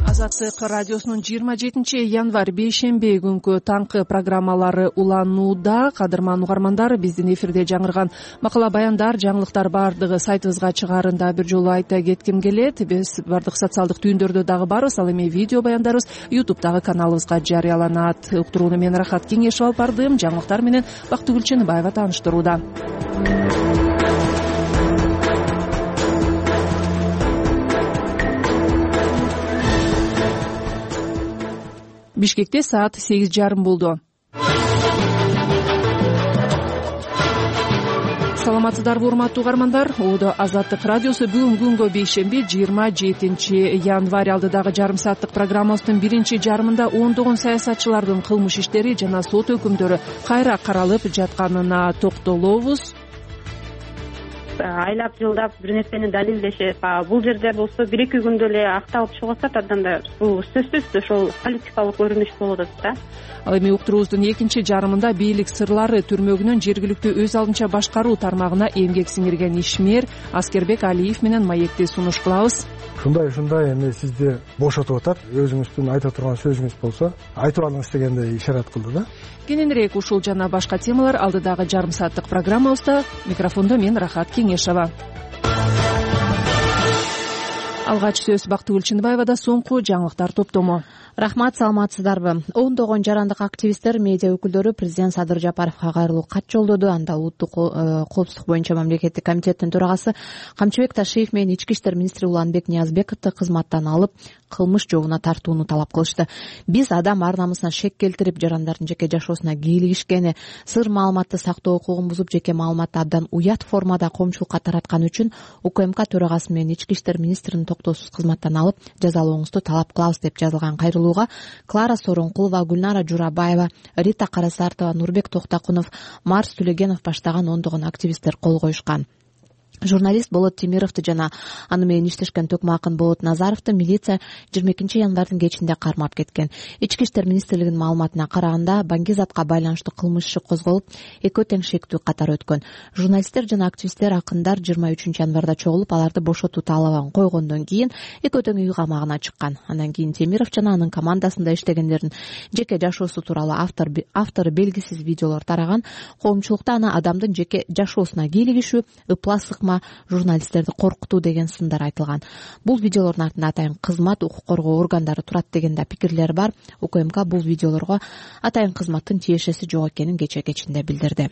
Азаттык радиосунун жыйырма жетинчи январь бейшемби күнкү таңкы программалары уланууда. Кадырман угармандар, биздин эфирде жаңырган макала баяндар, жаңылыктар баардыгы сайтыбызга чыгаарында бир жолу айта кетким келет. Биз баардык социалдык түйүндөрдө дагы барбыз. Ал эми видео баяндарыбыз ютубтагы каналыбызга жарыяланат. Уктурууну мен Рахат Кеңешев алып бардым. Жаңылыктар менен Бактыгүл Чыныбаева тааныштырууда. Бишкекте саат сегиз жарым болду. Саламатсыздарбы, урматтуу угармандар? Оодо Азаттык радиосу бүгүн күнгө бейшемби жыйырма жетинчи январь алдыдагы жарым сааттык программабыздын биринчи жарымында ондогон саясатчылардын кылмыш иштери жана сот өкүмдөрү кайра каралып жатканына токтолобуз. Айлап жылдап бир нерсени далилдешип, бул жерде болсо бир эки күндө эле акталып чыгып атат, андан да бул сөзсүз ошол политикалык көрүнүш болуп атат да. Ал эми уктуруубуздун экинчи жарымында бийлик сырлары түрмөгүнүн жергиликтүү өз алдынча башкаруу тармагына эмгек сиңирген ишмер Аскербек Алиев менен маекти сунуш кылабыз. Ушундай ушундай эми сизди бошотуп атат, өзүңүздүн айта турган сөзүңүз болсо айтып алыңыз дегендей ишарат кылды да. Кененирээк ушул жана башка темалар алдыдагы жарым сааттык программабызда. Микрофондо мен Рахат Кеңешева. Алгач сөз Бактыгүл Чыныбаевада, соңку жаңылыктар топтому. Рахмат, саламатсыздарбы? Ондогон жарандык активисттер, медиа өкүлдөрү президент Садыр Жапаровго кайрылуу кат жолдоду. Анда улуттук коопсуздук боюнча мамлекеттик комитеттин төрагасы Камчыбек Ташиев менен ички иштер министри Уланбек Ниязбековду кызматтан алып, кылмыш жообуна тартууну талап кылышты. Биз адам ар намысына шек келтирип, жарандардын жеке жашоосуна кийлигишкени, сыр маалыматты сактоо укугун бузуп, жеке маалыматты абдан уят формада коомчулукка таратканы үчүн УКМК төрагасы менен ички иштер министрин токтоосуз кызматтан алып, жазалооңузду талап кылабыз деп жазылган кайрылуу Клара Соронкулова, Гүлнара Журабаева, Рита Карасартова, Нурбек Токтакунов, Марс Түлегенов баштаган ондогон активисттер кол коюшкан. Журналист Болот Темировду жана аны менен иштешкен Төкмакын Болот Назаровду милиция жыйырма экинчи январдын кечинде кармап кеткен. Ички иштер министрлигинин маалыматына караганда, баңгизатка байланыштуу кылмыш иши козголуп, экөө тең шектүү катар өткөн. Журналисттер жана активисттер акындар жыйырма үчүнчү январда чогулуп, аларды бошотуу талабын койгондон кийин экөө тең үй камагына чыккан. Андан кийин Темиров жана анын командасында иштегендердин жеке жашоосу тууралуу автор автору белгисиз видеолор тараган. Коомчулукта аны адамдын жеке жашоосуна кийлигишүү, ыплас журналисттерди коркутуу деген сындар айтылган. Бул видеолордун артында атайын кызмат, укук коргоо органдары турат деген да пикирлер бар. УКМК бул видеолорго атайын кызматтын тиешеси жок экенин кече кечинде билдирди.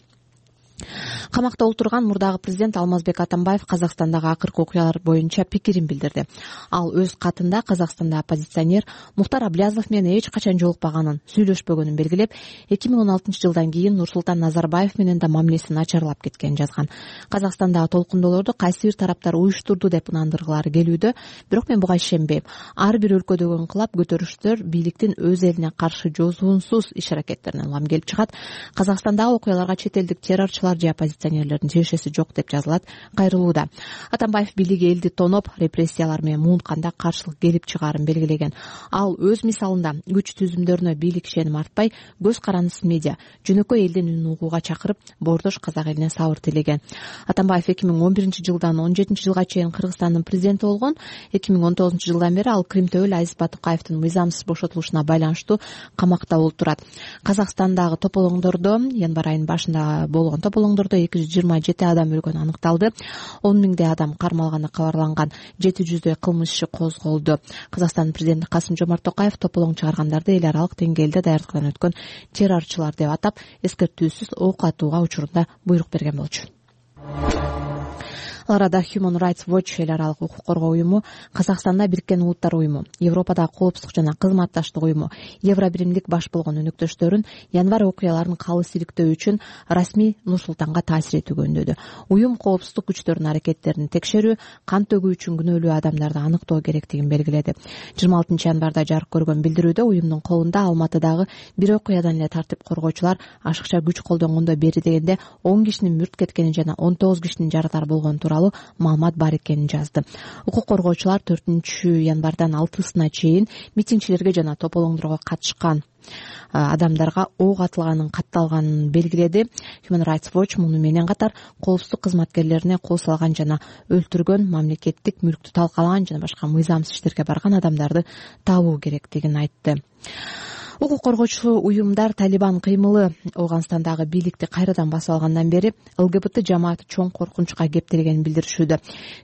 Камакта отурган мурдагы президент Алмазбек Атамбаев Казакстандагы акыркы окуялар боюнча пикирин билдирди. Ал өз катында Казакстанда оппозиционер Мухтар Аблязов менен эч качан жолукпаганын, сүйлөшпөгөнүн белгилеп, эки миң он алтынчы жылдан кийин Нурсултан Назарбаев менен да мамилеси начарлап кеткенин жазган. Казакстандагы толкундоолорду кайсы бир тараптар уюштурду деп ынандыргылары келүүдө, бирок мен буга ишенбейм. Ар бир өлкөдөгү инкылап көтөрүштөр бийликтин өз элине каршы жозуунсуз иш-аракеттеринен улам келип чыгат. Казакстандагы окуяларга чет элдик террорчулар же оппозиционерлердин тиешеси жок деп жазылат кайрылууда. Атамбаев бийлиги элди тоноп, репрессиялар менен муунтканда каршылык келип чыгаарын белгилеген. Ал өз мисалында күч түзүмдөрүнө бийлик ишеним артпай, көз карандысыз медиа, жөнөкөй элдин үнүн угууга чакырып, боордош казак элине сабыр тилеген. Атамбаев эки миң он биринчи жылдан он жетинчи жылга чейин Кыргызстандын президенти болгон. эки миң он тогузунчу жылдан бери ал Крим Төбөл Азиз Батукаевдин мыйзамсыз бошотулушуна байланыштуу камакта болуп турат. Казакстандагы тополоңдордо январь айынын башында болгон тополоңдордо эки жүз жыйырма жети адам өлгөнү аныкталды. он миңдей адам кармалганы кабарланган. жети жүздөй кылмыш иши козголду. Казакстандын президенти Касым Жомарт Токаев тополоң чыгаргандарды эл аралык деңгээлде даярдыктан өткөн террорчулар деп атап, эскертүүсүз ок атууга учурунда буйрук берген болчу. Ал арада Human Rights Watch эл аралык укук коргоо уюму, Казакстанда Бириккен Улуттар уюму, Европадагы коопсуздук жана кызматташтык уюму, Евробиримдик баш болгон өнөктөштөрүн январь окуяларын калыс иликтөө үчүн расмий Нур-Султанга таасир этүүгө үндөдү. Уюм коопсуздук күчтөрүнүн аракеттерин текшерүү, кан төгүү үчүн күнөөлүү адамдарды аныктоо керектигин белгиледи. жыйырма алтынчы январда жарык көргөн билдирүүдө уюмдун колунда Алматыдагы бир окуядан эле тартип коргоочулар ашыкча күч колдонгондо бери дегенде он кишинин мүрт кеткени жана он тогуз кишинин жаракат болгону тууралуу маалымат бар экенин жазды. Укук коргоочулар төртүнчү январдан алтысына чейин митингчилерге жана тополоңдорго катышкан адамдарга ок атылганын катталганын белгиледи. Human Rights Watch муну менен катар коопсуздук кызматкерлерине кол салган жана өлтүргөн, мамлекеттик мүлктү талкалаган жана башка мыйзамсыз иштерге барган адамдарды табуу керектигин айтты. Укук коргоочу уюмдар Талибан кыймылы Ооганстандагы бийликти кайрадан басып алгандан бери ЛГБТ жамааты чоң коркунучка кептелгенин билдиришүүдө.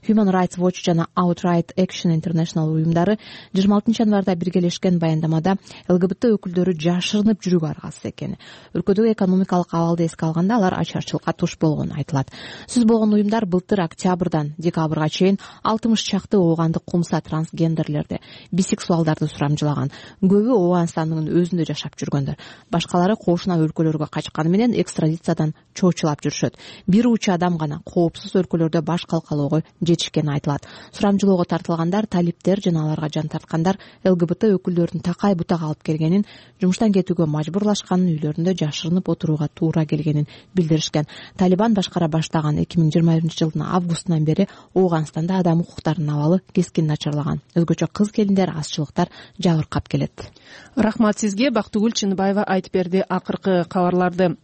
Human Rights Watch жана Outright Action International уюмдары жыйырма алтынчы январда биргелешкен баяндамада ЛГБТ өкүлдөрү жашырынып жүрүүгө аргасыз экени, өлкөдөгү экономикалык абалды эске алганда алар ачарчылыкка туш болгону айтылат. Сөз болгон уюмдар былтыр октябрдан декабрга чейин алтымыш чакты оогандык кумса трансгендерлерди, бисексуалдарды сурамжылаган. Көбү Ооганстандын өзүндө жашап жүргөндөр. Башкалары кошуна өлкөлөргө качканы менен экстрадициядан чоочулап жүрүшөт. Бир учу адам гана коопсуз өлкөлөрдө баш калкалоого жетишкени айтылат. Сурамжылоого тартылгандар талиптер жана аларга жан тарткандар ЛГБТ өкүлдөрүнүн такай бутак алып келгенин, жумуштан кетүүгө мажбурлашканын, үйлөрүндө жашырынып отурууга туура келгенин билдиришкен. Талибан башкара баштаган эки миң жыйырма биринчи жылдын августунан бери Ооганстанда адам укуктарынын абалы кескин начарлаган. Өзгөчө кыз келиндер, азчылыктар жабыркап келет. Рахмат сизге. Бактыгүл Чыныбаева айтып берди акыркы кабарларды.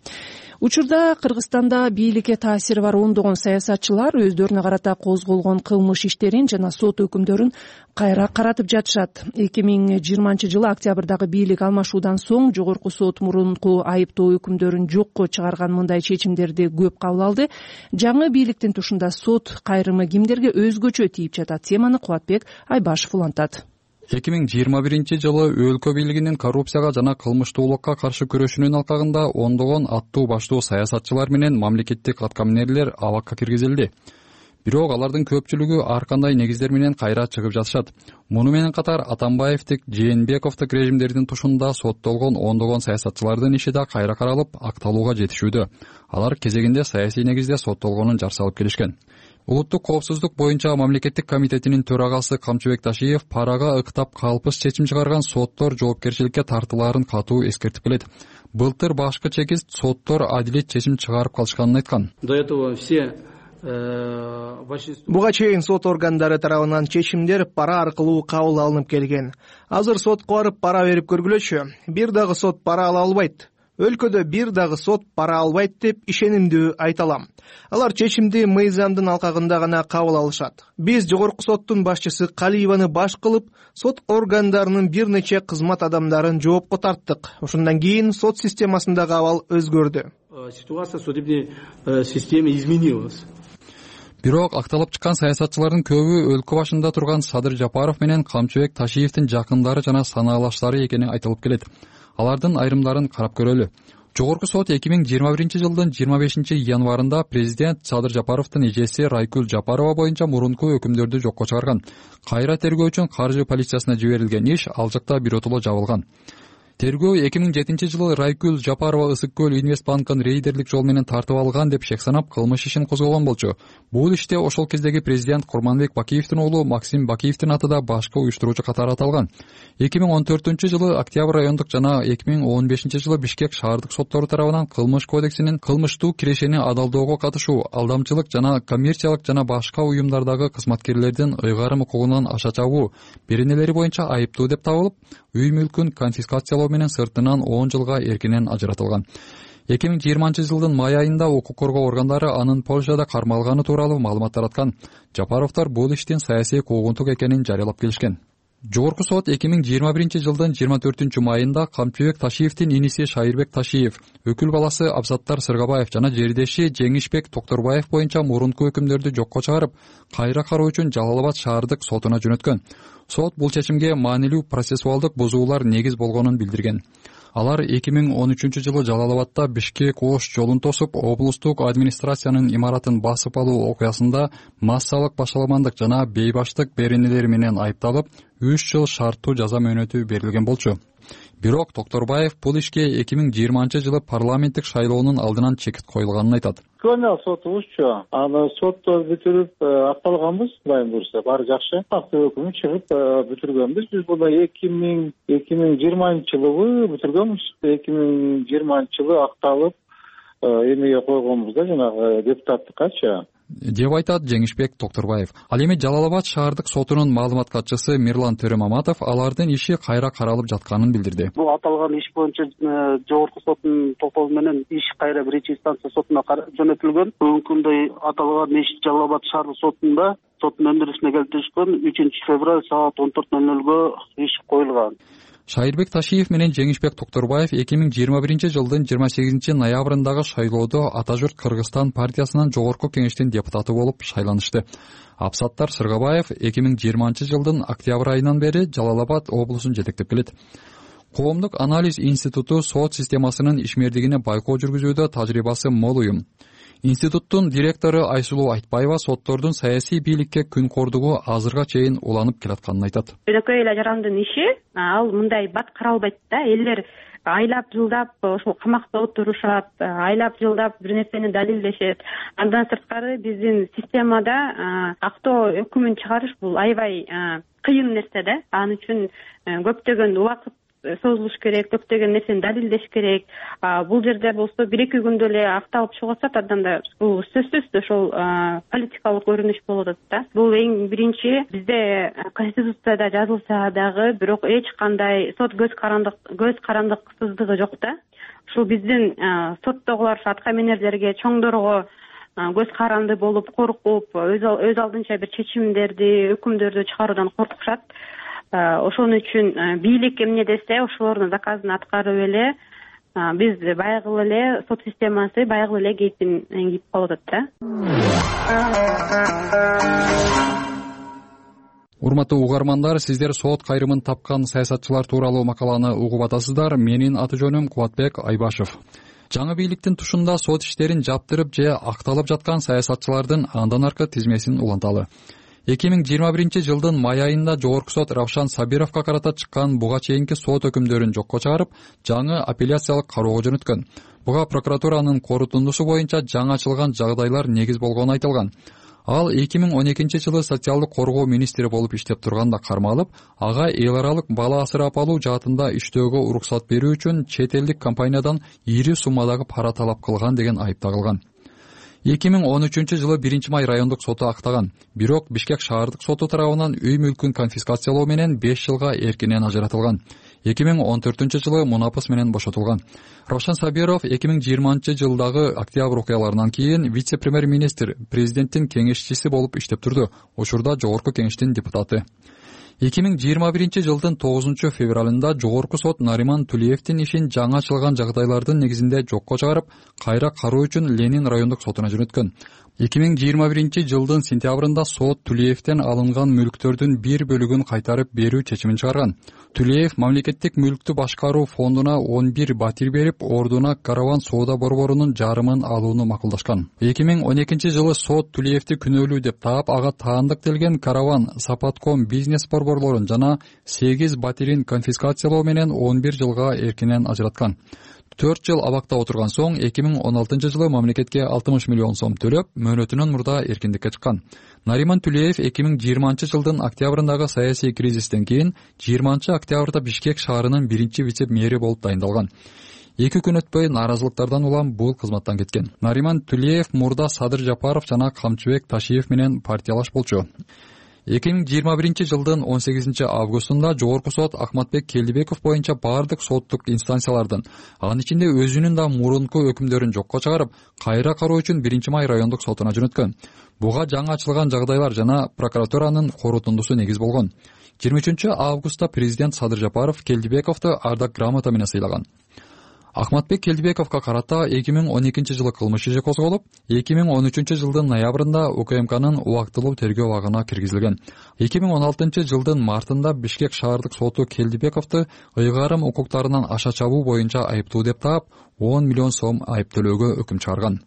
Учурда Кыргызстанда бийликке таасири бар ондогон саясатчылар өздөрүнө карата козголгон кылмыш иштерин жана сот өкүмдөрүн кайра каратып жатышат. эки миң жыйырманчы жылы октябрдагы бийлик алмашуудан соң жогорку сот мурунку айыптоо өкүмдөрүн жокко чыгарган мындай чечимдерди көп кабыл алды. Жаңы бийликтин тушунда сот кайрымы кимдерге өзгөчө тийип жатат? Теманы Кубатбек Айбашев улантат. эки миң жыйырма биринчи жылы өлкө бийлигинин коррупцияга жана кылмыштуулукка каршы күрөшүүнүн алкагында ондогон аттуу баштуу саясатчылар менен мамлекеттик аткаминерлер абакка киргизилди. Бирок алардын көпчүлүгү ар кандай негиздер менен кайра чыгып жатышат. Муну менен катар Атамбаевдик, Жээнбековдук режимдердин тушунда соттолгон ондогон саясатчылардын иши да кайра каралып, акталууга жетишүүдө. Алар кезегинде саясий негизде соттолгонун жар салып келишкен. Улуттук коопсуздук боюнча мамлекеттик комитетинин төрагасы Камчыбек Ташиев парага ыктап калпыс чечим чыгарган соттор жоопкерчиликке тартылаарын катуу эскертип келет. Былтыр башкы чекист соттор адилет чечим чыгарып калышканын айткан. До этого все Буга чейин сот органдары тарабынан чечимдер пара аркылуу кабыл алынып келген. Азыр сотко барып пара берип көргүлөчү. Бир дагы сот пара ала албайт. Өлкөдө бир дагы сот пара албайт деп ишенимдүү айта алам. Алар чечимди мыйзамдын алкагында гана кабыл алышат. Биз жогорку соттун башчысы Калиеваны баш кылып, сот органдарынын бир нече кызмат адамдарын жоопко тарттык. Ошондон кийин сот системасындагы абал өзгөрдү. Ситуация в судебной системе изменилась. Бирок акталып чыккан саясатчылардын көбү өлкө башында турган Садыр Жапаров менен Камчыбек Ташиевдин жакындары жана санаалаштары экени айтылып келет. Алардын айрымдарын карап көрөлү. Жогорку сот эки миң жыйырма биринчи жылдын жыйырма бешинчи январында президент Садыр Жапаровдун эжеси Райкүл Жапарова боюнча мурунку өкүмдөрдү жокко чыгарган. Кайра тергөө үчүн каржы полициясына жиберилген иш ал жакта биротоло жабылган. Тергөө эки миң жетинчи жылы Райкүл Жапарова Ысык көл Инвестбанкын рейдерлик жол менен тартып алган деп шек санап кылмыш ишин козгогон болчу. Бул иште ошол кездеги президент Курманбек Бакиевдин уулу Максим Бакиевдин аты да башкы уюштуруучу катары аталган. эки миң он төртүнчү жылы Октябрь райондук жана эки миң он бешинчи жылы Бишкек шаардык соттору тарабынан кылмыш кодексинин кылмыштуу кирешени адалдоого катышуу, алдамчылык жана коммерциялык жана башка уюмдардагы кызматкерлердин ыйгарым укугунан аша чабуу беренелери боюнча айыптуу деп табылып, үй мүлкүн конфискациялоо менен сыртынан он жылга эркинен ажыратылган. эки миң жыйырманчы жылдын май айында укук коргоо органдары анын Польшада кармалганы тууралуу маалымат тараткан. Жапаровдор бул иштин саясий куугунтук экенин жарыялап келишкен. Жогорку сот эки миң жыйырма биринчи жылдын жыйырма төртүнчү майында Камчыбек Ташиевдин иниси Шайырбек Ташиев, өкүл баласы Абзаттар Сыргабаев жана жердеши Жеңишбек Токторбаев боюнча мурунку өкүмдөрдү жокко чыгарып, кайра кароо үчүн Жалал Абад шаардык сотуна жөнөткөн. Сот бул чечимге маанилүү процессуалдык бузуулар негиз болгонун билдирген. Алар эки миң он үчүнчү жылы Жалал Абадта Бишкек Ош жолун тосуп, облустук администрациянын имаратын басып алуу окуясында массалык башаламандык жана бейбаштык беренелери менен айыпталып, үч жыл шарттуу жаза мөөнөтү берилген болчу. Бирок Токторбаев бул ишке эки миң жыйырманчы жылы парламенттик шайлоонун алдынан чекит коюлганын айтат. Көне сотубузчу, аны сотто бүтүрүп акталганбыз, Кудайым буйрса, баары жакшы. Акты өкүмү чыгып бүтүргөнбүз. Биз буну эки миң жыйырманчы жылы бүтүргөнбүз. эки миң жыйырманчы жылы акталып эмеге койгонбуз да, жанагы депутаттыккачы. деп айтат Жеңишбек Токторбаев. Ал эми Жалал Абад шаардык сотунун маалымат катчысы Мирлан Төрөмаматов алардын иши кайра каралып жатканын билдирди. Бул аталган иш боюнча жогорку соттун токтогу менен иш кайра биринчи инстанция сотуна жөнөтүлгөн. Бүгүнкү күндө аталган иш Жалал Абад шаардык сотунда соттун өндүрүшүнө келтиришкен үчүнчү февраль саат он төрт ноль нольго иш коюлган. Шайырбек Ташиев менен Жеңишбек Токторбаев эки миң жыйырма биринчи жылдын жыйырма сегизинчи ноябрындагы шайлоодо Ата журт Кыргызстан партиясынын жогорку кеңештин депутаты болуп шайланышты. Апсаттар Сыргабаев эки миң жыйырманчы жылдын октябрь айынан бери Жалал Абад облусун жетектеп келет. Коомдук анализ институту сот системасынын ишмердигине байкоо жүргүзүүдө тажрыйбасы мол уюм. Институттун директору Айсулуу Айтбаева соттордун саясий бийликке күн кордугу азырга чейин уланып келатканын айтат. Жөнөкөй эле жарандын иши ал мындай бат каралбайт да. Элдер айлап жылдап ошол камакта отурушат, айлап жылдап бир нерсени далилдешет. Андан сырткары биздин системада актоо өкүмүн чыгарыш бул аябай кыйын нерсе да. Ал үчүн көптөгөн убакыт созулуш керек, көптөгөн нерсени далилдеш керек. Бул жерде болсо бир эки күндө эле акталып чыгып атат, анданда бул сөзсүз ошол политикалык көрүнүш болуп атат да. Бул эң биринчи бизде конституцияда жазылса дагы, бирок эч кандай сот көз карандык көз карандыксыздыгы жок да. Ушул биздин соттогулар атка минерлерге, чоңдорго көз каранды болуп, коркуп, өз алдынча бир чечимдерди, өкүмдөрдү чыгаруудан коркушат. Ошон үчүн бийлик эмне десе ошолордун заказын аткарып эле биз баягы эле сот системасы баягы эле кейпин кийип калып атат да. Урматтуу угармандар, сиздер сот кайрымын тапкан саясатчылар тууралуу макаланы угуп атасыздар. Менин аты жөнүм Кубатбек Айбашев. Жаңы бийликтин тушунда сот иштерин жаптырып же акталып жаткан саясатчылардын андан аркы тизмесин уланталы. эки миң жыйырма биринчи жылдын май айында жогорку сот Равшан Сабировго карата чыккан буга чейинки сот өкүмдөрүн жокко чыгарып, жаңы апелляциялык кароого жөнөткөн. Буга прокуратуранын корутундусу боюнча жаңы ачылган жагдайлар негиз болгону айтылган. Ал эки миң он экинчи жылы социалдык коргоо министри болуп иштеп турганда кармалып, ага эл аралык бала асырап алуу жаатында иштөөгө уруксат берүү үчүн чет элдик компаниядан ири суммадагы пара талап кылган деген айып тагылган. эки миң он үчүнчү жылы биринчи май райондук соту актаган. Бирок Бишкек шаардык соту тарабынан үй мүлкүн конфискациялоо менен беш жылга эркинен ажыратылган. эки миң он төртүнчү жылы мунапыс менен бошотулган. Равшан Сабиров эки миң жыйырманчы жылдагы октябрь окуяларынан кийин вице-премьер-министр, президенттин кеңешчиси болуп иштеп турду. Учурда жогорку кеңештин депутаты. эки миң жыйырма биринчи жылдын тогузунчу февралында жогорку сот Нариман Тулиевдин ишин жаңы ачылган жагдайлардын негизинде жокко чыгарып, кайра кароо үчүн Ленин райондук сотуна жөнөткөн. эки миң жыйырма биринчи жылдын сентябрында сот Тулиевден алынган мүлктөрдүн бир бөлүгүн кайтарып берүү чечимин чыгарган. Тулиев мамлекеттик мүлктү башкаруу фондуна он бир батир берип, ордуна Караван соода борборунун жарымын алууну макулдашкан. эки миң он экинчи жылы сот Тулиевди күнөөлүү деп таап, ага таандык делген Караван, Сапатком бизнес борборлорун жана сегиз батирин конфискациялоо менен он бир жылга эркинен ажыраткан. төрт жыл абакта отурган соң эки миң он алтынчы жылы мамлекетке алтымыш миллион сом төлөп, мөөнөтүнөн мурда эркиндикке чыккан. Нариман Тулиев эки миң жыйырманчы жылдын октябрындагы саясий кризистен кийин жыйырманчы октябрда Бишкек шаарынын биринчи вице-мэри болуп дайындалган. эки күн өтпөй нааразылыктардан улам бул кызматтан кеткен. Нариман Тулиев мурда Садыр Жапаров жана Камчыбек Ташиев менен партиялаш болчу. эки миң жыйырма биринчи жылдын он сегизинчи августунда жогорку сот Акматбек Келдибеков боюнча бардык соттук инстанциялардын, анын ичинде өзүнүн да мурунку өкүмдөрүн жокко чыгарып, кайра кароо үчүн биринчи май райондук сотуна жөнөткөн. Буга жаңы ачылган жагдайлар жана прокуратуранын корутундусу негиз болгон. жыйырма үчүнчү августта президент Садыр Жапаров Келдибековду ардак грамота менен сыйлаган. Акматбек Келдибековго карата эки миң он экинчи жылы кылмыш иши козголуп, эки миң он үчүнчү жылдын ноябрында УКМКнын убактылуу тергөө абагына киргизилген. эки миң он алтынчы жылдын мартында Бишкек шаардык соту Келдибековду ыйгарым укуктарынан аша чабуу боюнча айыптуу деп таап, он миллион сом айып төлөөгө өкүм чыгарган.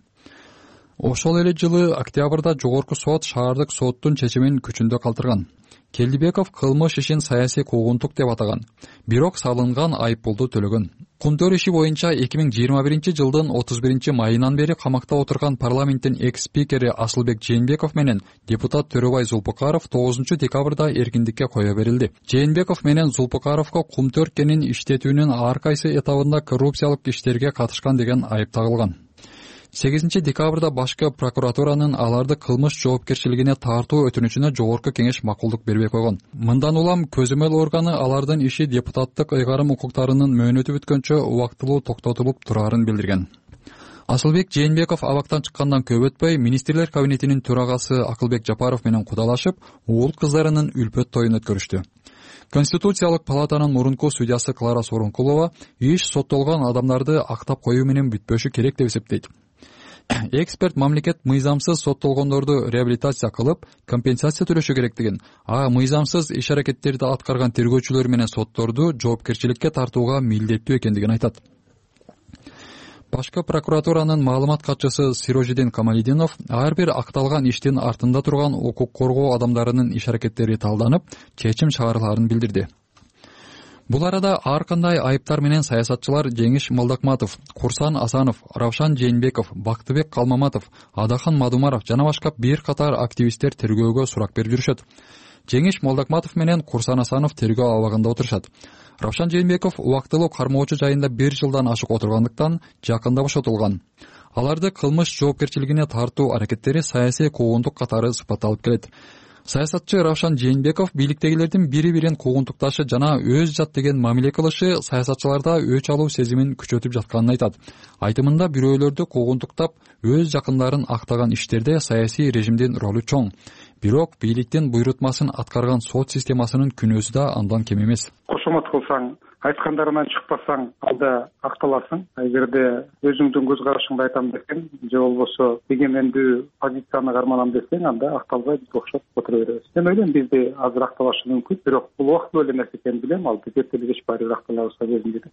Ошол эле жылы октябрда жогорку сот шаардык соттун чечимин күчүндө калтырган. Келдибеков кылмыш ишин саясий куугунтук деп атаган, бирок салынган айып пулду төлөгөн. Кумтөр иши боюнча эки миң жыйырма биринчи жылдын отуз биринчи майынан бери камакта отурган парламенттин экс-спикери Асылбек Жээнбеков менен депутат Төрөбай Зулпукаров тогузунчу декабрда эркиндикке кое берилди. Жээнбеков менен Зулпукаровго Кумтөр кенин иштетүүнүн ар кайсы этабында коррупциялык иштерге катышкан деген айып тагылган. сегизинчи декабрда башкы прокуратуранын аларды кылмыш жоопкерчилигине тартуу өтүнүчүнө жогорку кеңеш макулдук бербей койгон. Мындан улам көзөмөл органы алардын иши депутаттык ыйгарым укуктарынын мөөнөтү бүткөнчө убактылуу токтотулуп турарын билдирген. Асылбек Жээнбеков абактан чыккандан көп өтпөй министрлер кабинетинин төрагасы Акылбек Жапаров менен кудалашып, уул кыздарынын үлпөт тоюн өткөрүштү. Конституциялык палатанын мурунку судьясы Клара Сооронкулова иш соттолгон адамдарды актап коюу менен бүтпөшү керек деп эсептейт. Эксперт мамлекет мыйзамсыз соттолгондорду реабилитация кылып, компенсация төлөшү керектигин, а мыйзамсыз иш-аракеттерди аткарган тергөөчүлөр менен сотторду жоопкерчиликке тартууга милдеттүү экендигин айтат. Башкы прокуратуранын маалымат катчысы Сирожидин Камалидинов ар бир акталган иштин артында турган укук коргоо адамдарынын иш-аракеттери талданып, чечим чыгарыларын билдирди. Бул арада ар кандай айыптар менен саясатчылар Жеңиш Молдокматов, Курсан Асанов, Равшан Жээнбеков, Бактыбек Калмаматов, Адахан Мадумаров жана башка бир катар активисттер тергөөгө сурак берип жүрүшөт. Жеңиш Молдокматов менен Курсан Асанов тергөө абагында отурушат. Равшан Жээнбеков убактылуу кармоочу жайында бир жылдан ашык отургандыктан жакында бошотулган. Аларды кылмыш жоопкерчилигине тартуу аракеттери саясий куугунтук катары сыпатталып келет. Саясатчы Равшан Жээнбеков бийликтегилердин бири-бирин куугунтукташы жана өз жат деген мамиле кылышы саясатчыларда өч алуу сезимин күчөтүп жатканын айтат. Айтымында бирөөлөрдү куугунтуктап, өз жакындарын актаган иштерде саясий режимдин ролу чоң. Бирок бийликтин буйрутмасын аткарган сот системасынын күнөөсү да андан кем эмес. Кошомот кылсаң, айткандарынан чыкпасаң, алда акталасың. Эгерде өзүңдүн көз карашыңды айтам десең, же болбосо эгемендүү позицияны карманам десең, анда акталбай биз окшоп отура беребиз. Мен ойлойм, бизде азыр акталышы мүмкүн, бирок бул убактылуу эле нерсе экенин билем, ал биз эртелегеч баары бир акталабызга кезинде.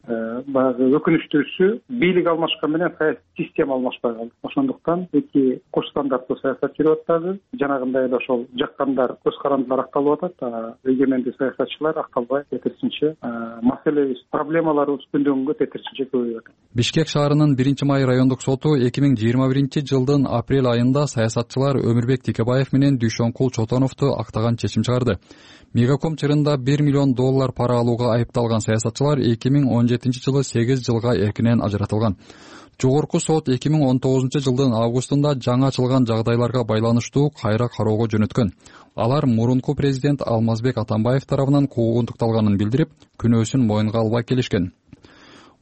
Баягы өкүнүчтүүсү, бийлик алмашкан менен саясий система алмашпай калды. Ошондуктан эки кош стандарттуу саясат жүрүп атат. Жанагындай эле ошол жаккандар, көз карандылар акталып атат, эгемендүү саясатчылар акталбай кетирсинче маселебиз, проблемаларыбыз күндөн күнгө тетирчинче көбөйүп атат. Бишкек шаарынын биринчи май райондук соту эки миң жыйырма биринчи жылдын апрель айында саясатчылар Өмүрбек Тикебаев менен Дүйшөнкул Чотоновду актаган чечим чыгарды. Мегаком чырында бир миллион доллар пара алууга айыпталган саясатчылар эки миң он жетинчи жылы сегиз жылга эркинен ажыратылган. Жогорку сот эки миң он тогузунчу жылдын августунда жаңы ачылган жагдайларга байланыштуу кайра кароого жөнөткөн. Алар мурунку президент Алмазбек Атамбаев тарабынан куугунтукталганын билдирип, күнөөсүн моюнга албай келишкен.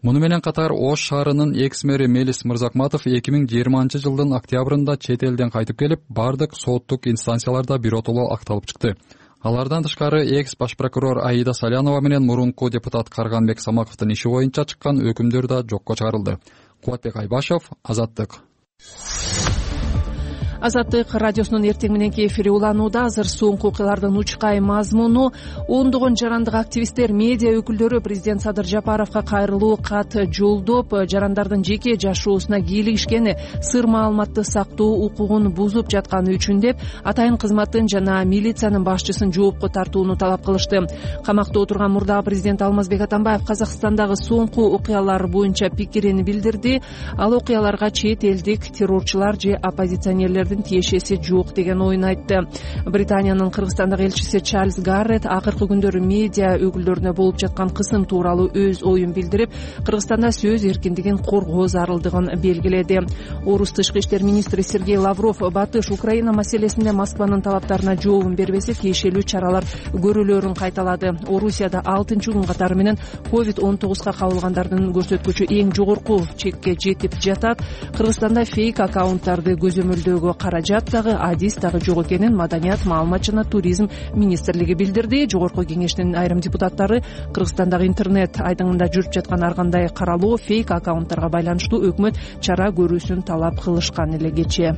Муну менен катар Ош шаарынын экс-мэри Мелис Мырзакматов эки миң жыйырманчы жылдын октябрында чет элден кайтып келип, бардык соттук инстанцияларда биротоло акталып чыкты. Алардан тышкары экс баш прокурор Аида Салянова менен мурунку депутат Карганбек Самаковдун иши боюнча чыккан өкүмдөр да жокко чыгарылды. Кубатбек Айбашев, Азаттык. Азаттык радиосунун эртең мененки эфири уланууда. Азыр соңку окуялардын учкай мазмуну: ондогон жарандык активисттер, медиа өкүлдөрү президент Садыр Жапаровго кайрылуу кат жолдоп, жарандардын жеке жашоосуна кийлигишкени, сыр маалыматты сактоо укугун бузуп жатканы үчүн деп атайын кызматтын жана милициянын башчысын жоопко тартууну талап кылышты. Камакта отурган мурдагы президент Алмазбек Атамбаев Казакстандагы соңку окуялар боюнча пикирин билдирди. Ал окуяларга чет элдик террорчулар же оппозиционерлердин тиешеси жок деген оюн айтты. Британиянын Кыргызстандагы элчиси Чарльз Гаррет акыркы күндөрү медиа өкүлдөрүнө болуп жаткан кысым тууралуу өз оюн билдирип, Кыргызстанда сөз эркиндигин коргоо зарылдыгын белгиледи. Орус тышкы иштер министри Сергей Лавров Батыш Украина маселесинде Москванын талаптарына жообун бербесе тиешелүү чаралар көрүлөрүн кайталады. Орусияда алтынчы күн катары менен ковид он тогузга кабылгандардын көрсөткүчү эң жогорку чекке жетип жатат. Кыргызстанда фейк аккаунттарды көзөмөлдөөгө каражат дагы адис дагы жок экенин Маданият, маалымат жана туризм министрлиги билдирди. Жогорку кеңештин айрым депутаттары Кыргызстандагы интернет айдыңында жүрүп жаткан ар кандай каралоо, фейк аккаунттарга байланыштуу өкмөт чара көрүүсүн талап кылышкан эле кечээ.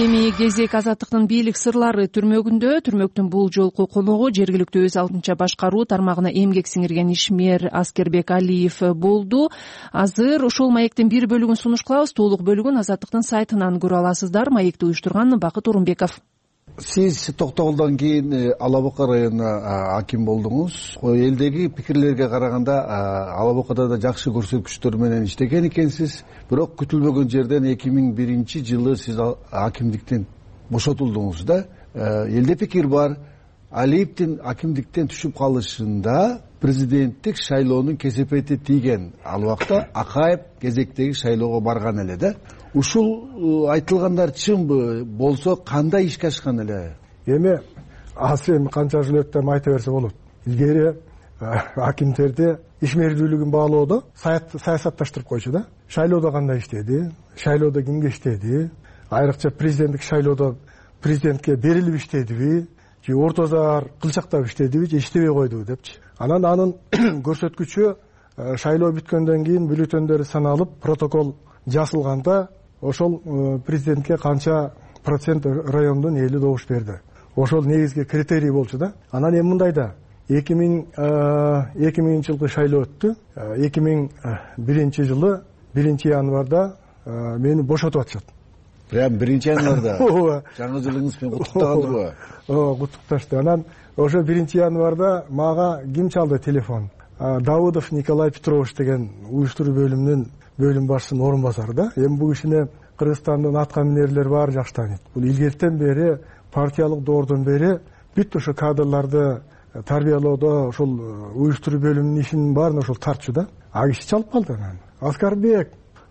Эми кезек Азаттыктын бийлик сырлары түрмөгүндө. Түрмөктүн бул жолку коногу жергиликтүү өз алдынча башкаруу тармагына эмгек сиңирген ишмер Аскербек Алиев болду. Азыр ушул маектин бир бөлүгүн сунуш кылабыз. Толук бөлүгүн Азаттыктын сайтынан көрө аласыздар. Маекти уюштурган Бакыт Орунбеков. Сиз токтогулдан кийин Ала Бука районуна аким болдуңуз. Элдеги пикирлерге караганда Ала Букада да жакшы көрсөткүчтөр менен иштеген экенсиз. Бирок күтүлбөгөн жерден эки миң биринчи жылы сиз акимдиктен бошотулдуңуз да. Элде пикир бар, Алиевдин акимдиктен түшүп калышында президенттик шайлоонун кесепети тийген. Ал убакта Акаев кезектеги шайлоого барган эле да. Ушул айтылгандар чынбы болсо кандай ишке ашкан эле? Эми азыр эми канча жыл өтүп айта берсе болот. Илгери акимдерди ишмердүүлүгүн баалоодо саясатташтырып койчу да. Шайлоодо кандай иштеди, шайлоодо кимге иштеди, айрыкча президенттик шайлоодо президентке берилип иштедиби, же ортозар кылчактап иштедиби, же иштебей койдубу депчи. Анан анын көрсөткүчү шайлоо бүткөндөн кийин бюллетендери саналып, протокол жасылганда ошол президентке канча процент райондун эли добуш берди. Ошол негизги критерий болчу да. Анан эми мындай да, эки миңинчи жылкы шайлоо өттү. эки миң биринчи жылы биринчи январда мени бошотуп атышат. Прям биринчи январда? Жаңы жылыңыз менен куттуктагандырбы? Ооба, куттукташты. Анан ошо биринчи январда мага ким чалды телефон? Давыдов Николай Петрович деген уюштуруу бөлүмүнүн бөлүм башчысынын орун басары да. Эми бул кишини Кыргызстандын аткаминерлери баары жакшы тааныйт. Бул илгертен бери, партиялык доордон бери бүт ошо кадрларды тарбиялоодо ошол уюштуруу бөлүмүнүн ишинин баарын ошол тартчу да. А киши чалып калды анан. Аскарбек,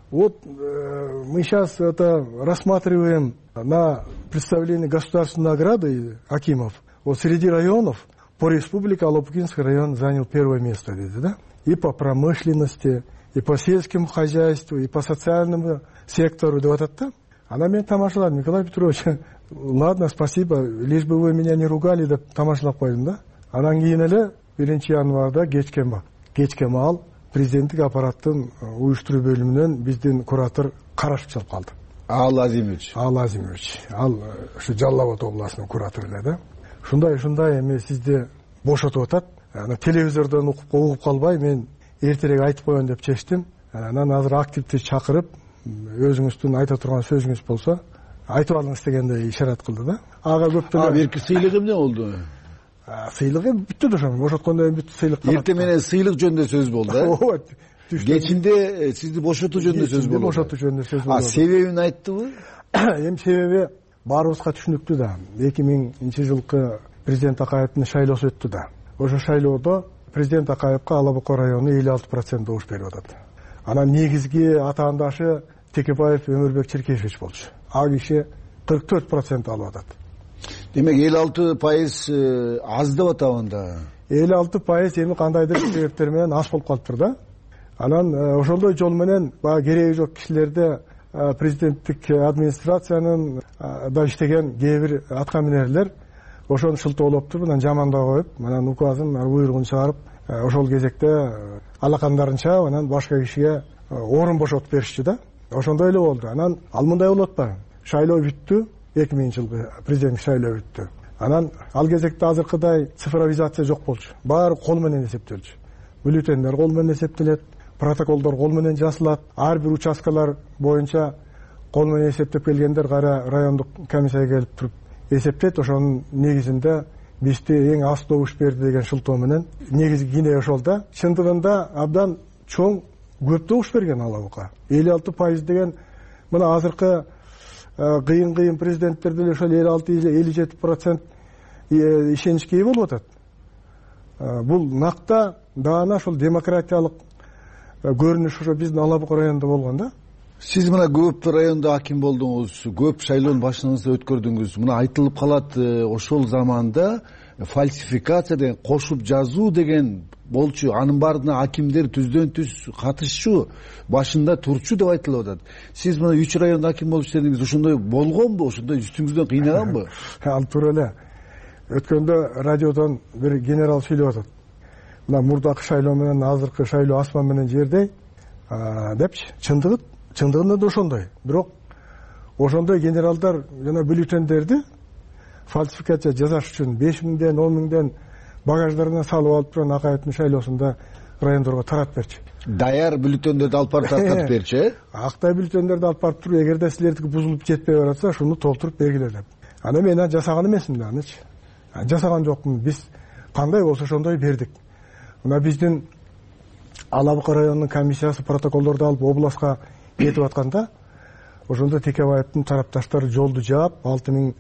вот мы сейчас это рассматриваем на представление государственной награды акимов. Вот среди районов по республике Алабукинский район занял первое место, да? И по промышленности, и по сельскому хозяйству, и по социальному сектору, да вот это. Она меня тамашалала, Николай Петрович, ладно, спасибо, лишь бы вы меня не ругали, да тамашалап койдум, да? Анан кийин эле биринчи январда кечкен баг. Кечке маал президенттик аппараттын уюштуруу бөлүмүнөн биздин куратор карашып чалып калды. Ал Азимович. Ал Азимович. Ал ушу Жалал Абад областынын куратору эле да. Ушундай ушундай эми сизди бошотуп атат. Ана телевизордон угуп угуп калбай мен эртерээк айтып коеюн деп чечтим. Анан азыр активди чакырып өзүңүздүн айта турган сөзүңүз болсо айтып алыңыз дегенде ишарат кылды да. Ага көптөн А берки сыйлык эмне болду? Сыйлык эми бүттү да ошо бошоткондон бүт сыйлык. Эртең менен сыйлык жөнүндө сөз болду да. Ооба. Кечинде сизди бошотуу жөнүндө сөз болду. Бошотуу жөнүндө сөз болду. А себебин айттыбы? Эми себеби баарыбызга түшүнүктүү да. эки миңинчи жылкы президент Акаевдин шайлоосу өттү да. Ошо шайлоодо президент Акаевка Ала Бука району элүү алты процент добуш берип атат. Анан негизги атаандашы Текебаев Өмүрбек Черкешевич болчу. А киши кырк төрт процент алып атат. Демек элүү алты пайыз аз деп атабы анда? элүү алты пайыз эми кандайдыр себептер менен аз болуп калыптыр да. Анан ошондой жол менен баягы кереги жок кишилерде президенттик администрациянын да иштеген кээ бир аткаминерлер ошону шылтоолоп туруп анан жамандап коюп, анан указын буйругун чыгарып, ошол кезекте алакандарынча анан башка кишиге орун бошотуп беришчү да. Ошондой эле болду. Анан ал мындай болуп атпайбы? Шайлоо бүттү, эки миңинчи жылкы президенттик шайлоо бүттү. Анан ал кезекте азыркыдай цифровизация жок болчу. Баары кол менен эсептелчү. Бюллетендер кол менен эсептелет, протоколдор кол менен жазылат. Ар бир участкалар боюнча кол менен эсептеп келгендер кайра райондук комиссияга келип туруп эсептейт. Ошонун негизинде бизди эң аз добуш берди деген шылтоо менен негизги кине ошол да. Чындыгында абдан чоң көп добуш берген Ала Бука. элүү алты пайыз деген мына азыркы кыйын-кыйын президенттер деле ошол элүү алты элүү жети процент ишеничке ээ болуп атат. Бул накта даана ошол демократиялык көрүнүш ошо биздин Ала Бука районунда болгон да. Сиз мына көп райондо аким болдуңуз, көп шайлоонун башыңызда өткөрдүңүз. Мына айтылып калат, ошол заманда фальсификация деген, кошуп жазуу деген болчу, анын баарына акимдер түздөн түз катышчу, башында турчу деп айтылып атат. Сиз мына үч райондо аким болуп иштедиңиз, ошондой болгонбу, ошондой үстүңүздөн кыйнаганбы? Ал туура эле. Өткөндө радиодон бир генерал сүйлөп атат. Мына мурдакы шайлоо менен азыркы шайлоо асман менен жердей депчи. Чындыгы чындыгында да ошондой. Бирок ошондой генералдар жана бюллетендерди фальсификация жасаш үчүн беш миңден он миңден багаждарына салып алып турган Акаевдин шайлоосунда райондорго таратып берчи. Даяр бюллетендерди алып барып таркатып берчи, э? Актай бюллетендерди алып барып туруп, эгерде силердики бузулуп жетпей баратса, шуну толтуруп бергиле деп. Аны мен жасаган эмесмин да, анычы. Жасаган жокмун. Биз кандай болсо ошондой бердик. Мына биздин Ала Бука районунун комиссиясы протоколдорду алып областка кетип атканда, ошондо Текебаевдин тарапташтары жолду жаап, алты миң,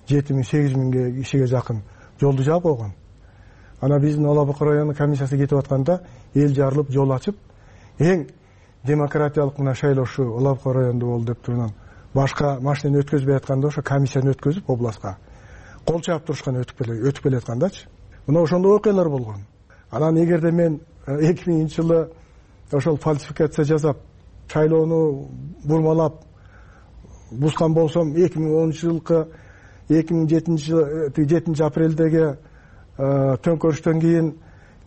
жети миң, сегиз миңге кишиге жакын жолду жаап койгон. Ана биздин Ала Бука районунун комиссиясы кетип атканда, эл жарылып, жол ачып, эң демократиялык мына шайлоошу Ала Бука районунда болду деп турган. Башка машинени өткөзбөй атканда ошо комиссияны өткөзүп областка кол чаап турушкан, өтүп келе өтүп келе аткандачы. Мына ошондой окуялар болгон. Анан эгерде мен эки миңинчи жылы ошол фальсификация жасап, шайлоону бурмалап бузган болсом, эки миң онунчу жылкы эки миң жетинчи апрелдеги төңкөрүштөн кийин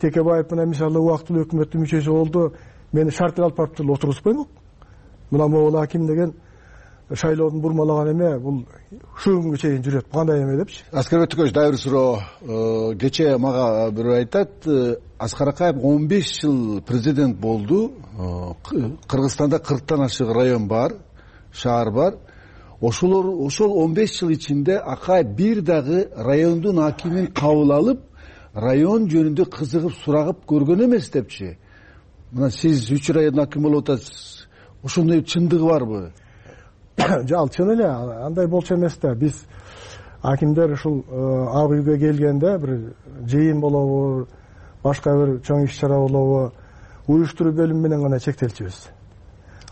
Текебаев менен мисалы убактылуу өкмөттүн мүчөсү болду. Мени шарт алып барып отургузбоймук. Мына могул аким деген шайлоодун бурмалаган эме, бул ушул күнгө чейин жүрөт. Кандай эме депчи. Аскарбек Тукаевич, дагы бир суроо. Кечээ мага бирөө айтат, Аскар Акаев он беш жыл президент болду. Кыргызстанда кырктан ашык район бар, шаар бар. Ошолор ошол он беш жыл ичинде Акаев бир дагы райондун акимин кабыл алып, район жөнүндө кызыгып сурагып көргөн эмес депчи. Мына сиз үч райондун аким болуп атасыз. Ошондой чындыгы барбы? Жал, чын эле, андай болчу эмес да. Биз акимдер ушул ак үйгө келгенде бир жыйын болобу, башка бир чоң иш-чара болобу, уюштуруу бөлүмү менен гана чектелчүбүз.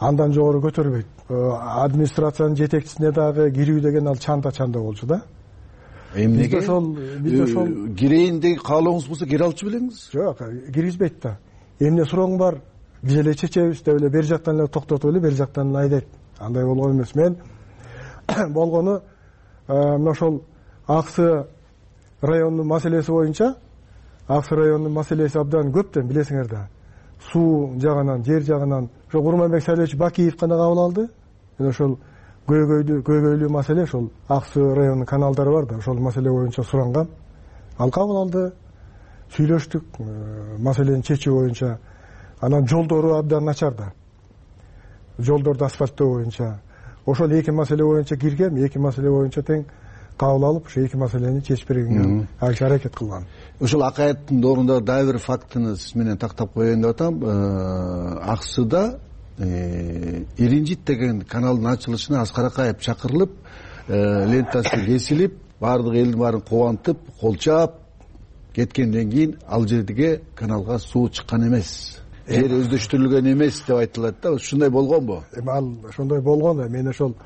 Андан жогору көтөрбөйт. Администрациянын жетекчисине дагы кирүү деген ал чанда-чанда болчу да. Эмнеге? Бизде ошол, бизде ошол кирейин деген каалооңуз болсо кире алчу белеңиз? Жок, киргизбейт да. Эмне сурооң бар, биз эле чечебиз деп эле бер жактан эле токтотуп эле бер жактан эле айдайт. Андай болгон эмес. Мен болгону мына ошол Аксы районунун маселеси боюнча, Аксы районунун маселеси абдан көптөн билесиңер да. Суу жагынан, жер жагынан ошо Курманбек Салиевич Бакиев гана кабыл алды. Мен ошол көйгөйлүү көйгөйлүү маселе ошол Аксы районунун каналдары бар да, ошол маселе боюнча сурангам. Ал кабыл алды. Сүйлөштүк маселени чечүү боюнча. Анан жолдору абдан начар да. Жолдорду асфальттоо боюнча. Ошол эки маселе боюнча киргем, эки маселе боюнча тең кабыл алып, ошо эки маселени чечип бергенге аракет кылган. Ошол Акаевдин доорунда дагы бир фактыны сиз менен тактап коеюн деп атам. Аксыда Иринжит деген каналдын ачылышына Аскар Акаев чакырылып, лентасы кесилип, баардык элдин баарын кубантып, кол чаап кеткенден кийин ал жерге каналга суу чыккан эмес. Жер өздөштүрүлгөн эмес деп айтылат да. Ушундай болгонбу? Эми ал ошондой болгон да. Мен ошол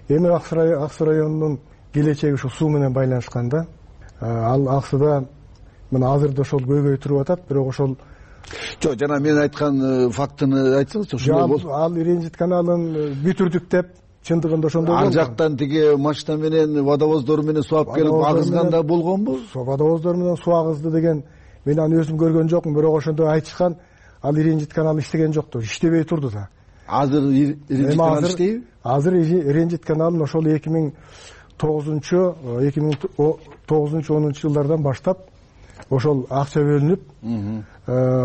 эми Аксы районунун келечеги ушул суу менен байланышкан да. Ал Аксыда мына азырда ошол көйгөй туруп атат, бирок ошол жок, жана мен айткан фактыны айтсаңызчы, ошондой болду. Ал Иринжит каналын бүтүрдүк деп чындыгында ошондой болду. Ар жактан тиги машина менен, водовоздор менен суу алып келип агызганда болгонбу? Водовоздор менен суу агызды деген мен аны өзүм көргөн жокмун, бирок ошондой айтышкан. Ал Иринжит каналы иштеген жокту, иштебей турду да. Азыр Иринжит каналы иштейби? Азыр Иринжит каналын ошол эки миң тогузунчу, эки миң тогузунчу онунчу жылдардан баштап ошол акча бөлүнүп,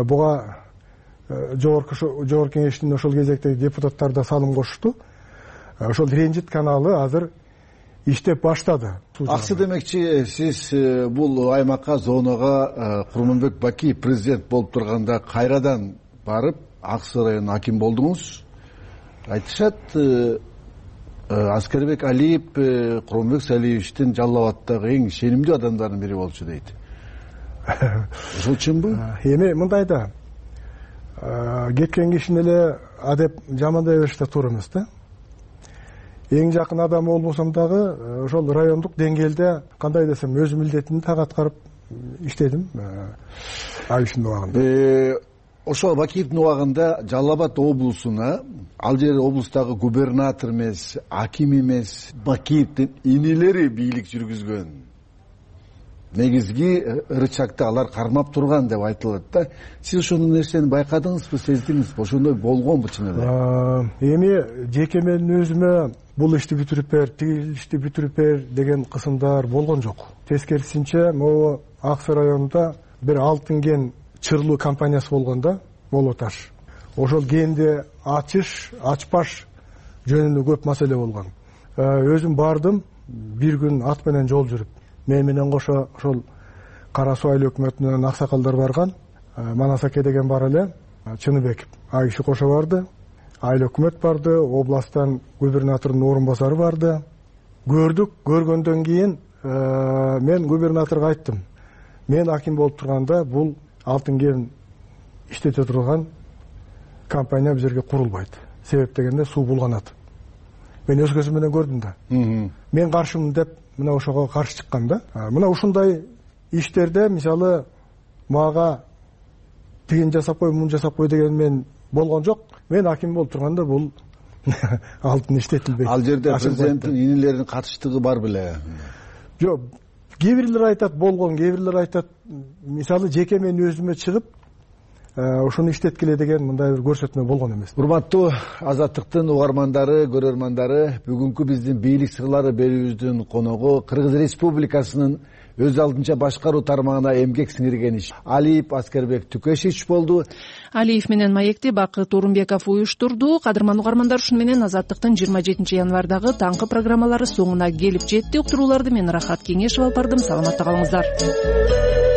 буга жогорку жогорку кеңештин ошол кезектеги депутаттар да салым кошту. Ошол Иринжит каналы азыр иштеп баштады. Аксы демекчи, сиз бул аймакка, зонага Курманбек Бакиев президент болуп турганда кайрадан барып, Аксы районунун аким болдуңуз. Айтышат, Аскарбек Алиев Курманбек Салиевичтин Жалал Абаддагы эң ишенимдүү адамдардын бири болчу дейт. Ошол чынбы? Эми мындай да. Кеткен кишини эле адеп жамандай бериш да туура эмес да. Эң жакын адам болбосом дагы ошол райондук деңгээлде кандай десем өз милдетин так аткарып иштедим Бакиевдин убагында. Ошол Бакиевдин убагында Жалал Абад облусуна, ал жер облустагы губернатор эмес, аким эмес, Бакиевдин инилери бийлик жүргүзгөн. Негизги ырычакты алар кармап турган деп айтылат да. Сиз ошол нерсени байкадыңызбы, сездиңизби? Ошондой болгонбу чын эле? Эми жеке менин өзүмө бул ишти бүтүрүп бер, тигил ишти бүтүрүп бер деген кысымдар болгон жок. Тескерисинче, могу Ак Суу районунда бир алтын кен чырлуу компаниясы болгон да, болуп аташ. Ошол кенди ачыш, ачпаш жөнүндө көп маселе болгон. Өзүм бардым, бир күн ат менен жол жүрүп. Мен менен кошо ошол Кара Суу айыл өкмөтүнөн аксакалдар барган, Манас аке деген бар эле, Чыныбек а киши кошо барды, айыл өкмөт барды, областтан губернатордун орун басары барды. Көрдүк, көргөндөн кийин мен губернаторго айттым. Мен аким болуп турганда бул алтын кен иштете турган компания бул жерге курулбайт. Себеп дегенде суу булганат. Мен өз көзүм менен көрдүм да. Мен каршымын деп мына ошого каршы чыккан да. Мына ушундай иштерде мисалы мага тигин жасап кой, мун жасап кой деген мен болгон жок. Мен аким болуп турганда бул алтын иштетилбейт. Ал жерде президенттин инилеринин катыштыгы бар беле? Жок. Кээ бирлер айтат болгон, кээ бирлер айтат мисалы жеке мен өзүмө чыгып ошону иштеткиле деген мындай бир көрсөтмө болгон эмес. Урматтуу Азаттыктын угармандары, көрөрмандары, бүгүнкү биздин бийлик сырлары берүүбүздүн коногу Кыргыз Республикасынын өз алдынча башкаруу тармагына эмгек сиңирген иш Алиев Аскербек Түкешич болду. Алиев менен маекти Бакыт Орунбеков уюштурду. Кадырман угармандар, ушуну менен Азаттыктын жыйырма жетинчи январдагы таңкы программалары соңуна келип жетти. Уктурууларды мен Рахат Кеңешев алып бардым. Саламатта калыңыздар.